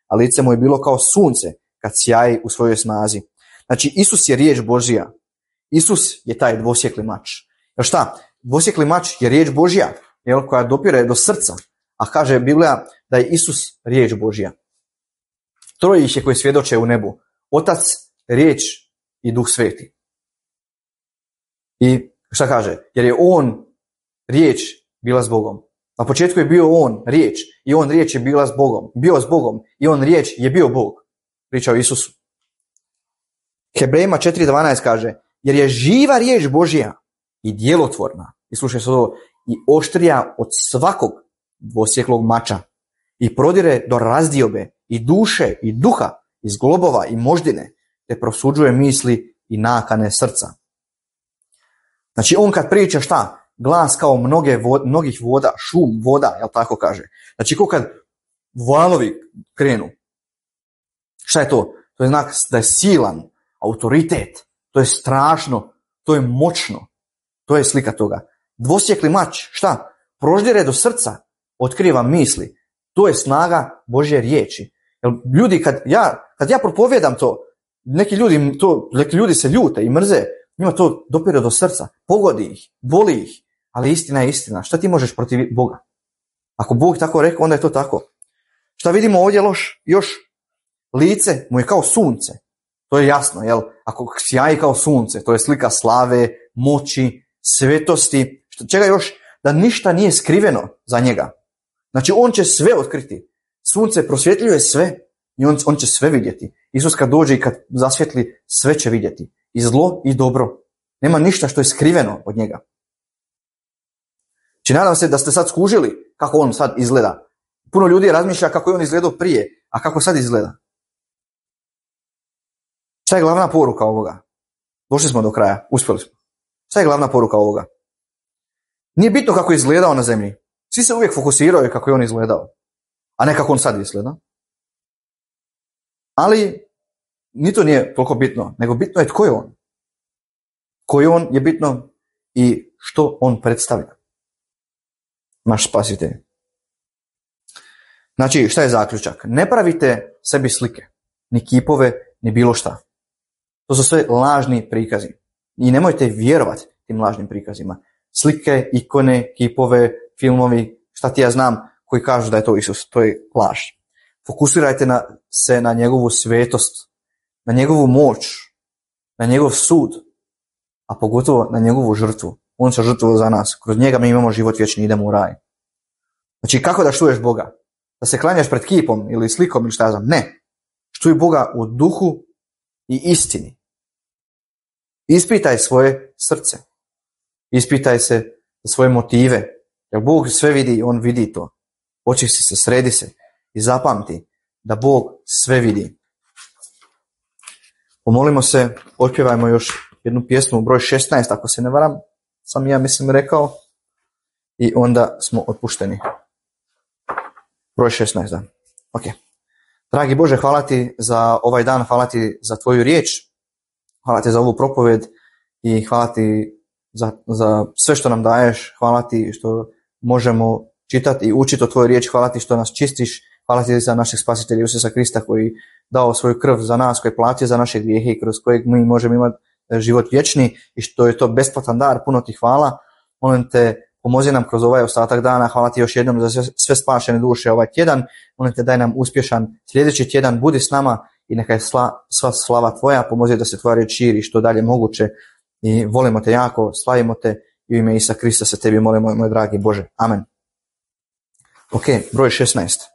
a lice mu je bilo kao sunce kad sjaji u svojoj snazi. Znači, Isus je riječ Božja. Isus je taj dvosjekli mač. Jer šta? Dvosjekli mač je riječ Božja, koja dopire do srca. A kaže Biblija da je Isus riječ Božja. 3 ih je koji svjedoče u nebu. Otac, riječ i Duh Sveti. I šta kaže? Jer je on riječ bila s Bogom. Na početku je bio on riječ i on riječ je bila s Bogom. Bio s Bogom i on riječ je bio Bog. Priča o Isusu. Hebrejima 4:12 kaže, jer je živa riječ Božja i djelotvorna. I slušaj se ovo, i oštrija od svakog dvosjeklog mača i prodire do razdiobe i duše i duha, iz globova i moždine, te prosuđuje misli i nakane srca. Znači on kad priča šta? Glas kao mnogih voda, šum voda, jel tako kaže? Znači ko kad valovi krenu. Šta je to? To je znak da je silan, autoritet, to je strašno, to je moćno. To je slika toga. Dvosjekli mač, šta? Proždire do srca, otkriva misli. To je snaga Božje riječi. Jer ljudi, kad ja propovijedam to, neki ljudi se ljute i mrze, njima to dopire do srca, pogodi ih, boli ih, ali istina je istina. Šta ti možeš protiv Boga? Ako Bog tako rekao, onda je to tako. Šta vidimo ovdje još? Lice mu je kao sunce. To je jasno, jel? Ako sjaji kao sunce, to je slika slave, moći, svetosti. Čega još? Da ništa nije skriveno za njega. Znači on će sve otkriti. Sunce prosvjetljuje sve i on će sve vidjeti. Isus kad dođe i kad zasvjetli, sve će vidjeti. I zlo i dobro. Nema ništa što je skriveno od njega. Znači nadam se da ste sad skužili kako on sad izgleda. Puno ljudi razmišlja kako je on izgledao prije, a kako sad izgleda. Šta je glavna poruka ovoga? Došli smo do kraja, uspjeli smo. Šta je glavna poruka ovoga? Nije bitno kako je izgledao na zemlji. Svi se uvijek fokusiraju kako je on izgledao, a ne kako on sad izgleda. Ali ni to nije toliko bitno, nego bitno je tko je on. Tko je on je bitno i što on predstavlja. Naš spasitelj. Znači, šta je zaključak? Ne pravite sebi slike, ni kipove, ni bilo šta. To su sve lažni prikazi. I nemojte vjerovati tim lažnim prikazima. Slike, ikone, kipove, filmovi, šta ti ja znam, koji kažu da je to Isus. To je laž. Fokusirajte se na njegovu svetost, na njegovu moć, na njegov sud, a pogotovo na njegovu žrtvu. On se žrtvovao za nas. Kroz njega mi imamo život vječni, idemo u raj. Znači, kako da štuješ Boga? Da se klanjaš pred kipom ili slikom ili šta ja znam? Ne. Štuj Boga u duhu i istini. Ispitaj svoje srce. Ispitaj se svoje motive. Jer Bog sve vidi, on vidi to. Očisti se, sredi se i zapamti da Bog sve vidi. Pomolimo se, otpjevajmo još jednu pjesmu, broj 16, ako se ne varam, sam ja mislim rekao, i onda smo otpušteni. Broj 16, da. Ok. Dragi Bože, hvala ti za ovaj dan, hvala ti za tvoju riječ, hvala ti za ovu propoved i hvala ti za sve što nam daješ, hvala ti što možemo čitati i učiti o tvojoj riječi, hvala ti što nas čistiš, hvala ti za našeg spasitelja Isusa Krista koji dao svoju krv za nas, koji je platio za naše grijehe i kroz kojeg mi možemo imati život vječni i što je to besplatan dar, puno ti hvala. Molim te, pomozi nam kroz ovaj ostatak dana, hvala ti još jednom za sve spašene duše ovaj tjedan, molim te daj nam uspješan sljedeći tjedan, budi s nama i neka je sva slava tvoja, pomozi da se tvoja riječ širi što dalje moguće i volimo te jako, slavimo te i u ime Isusa Krista se tebi molimo, moj dragi Bože. Amen. Ok, broj 16.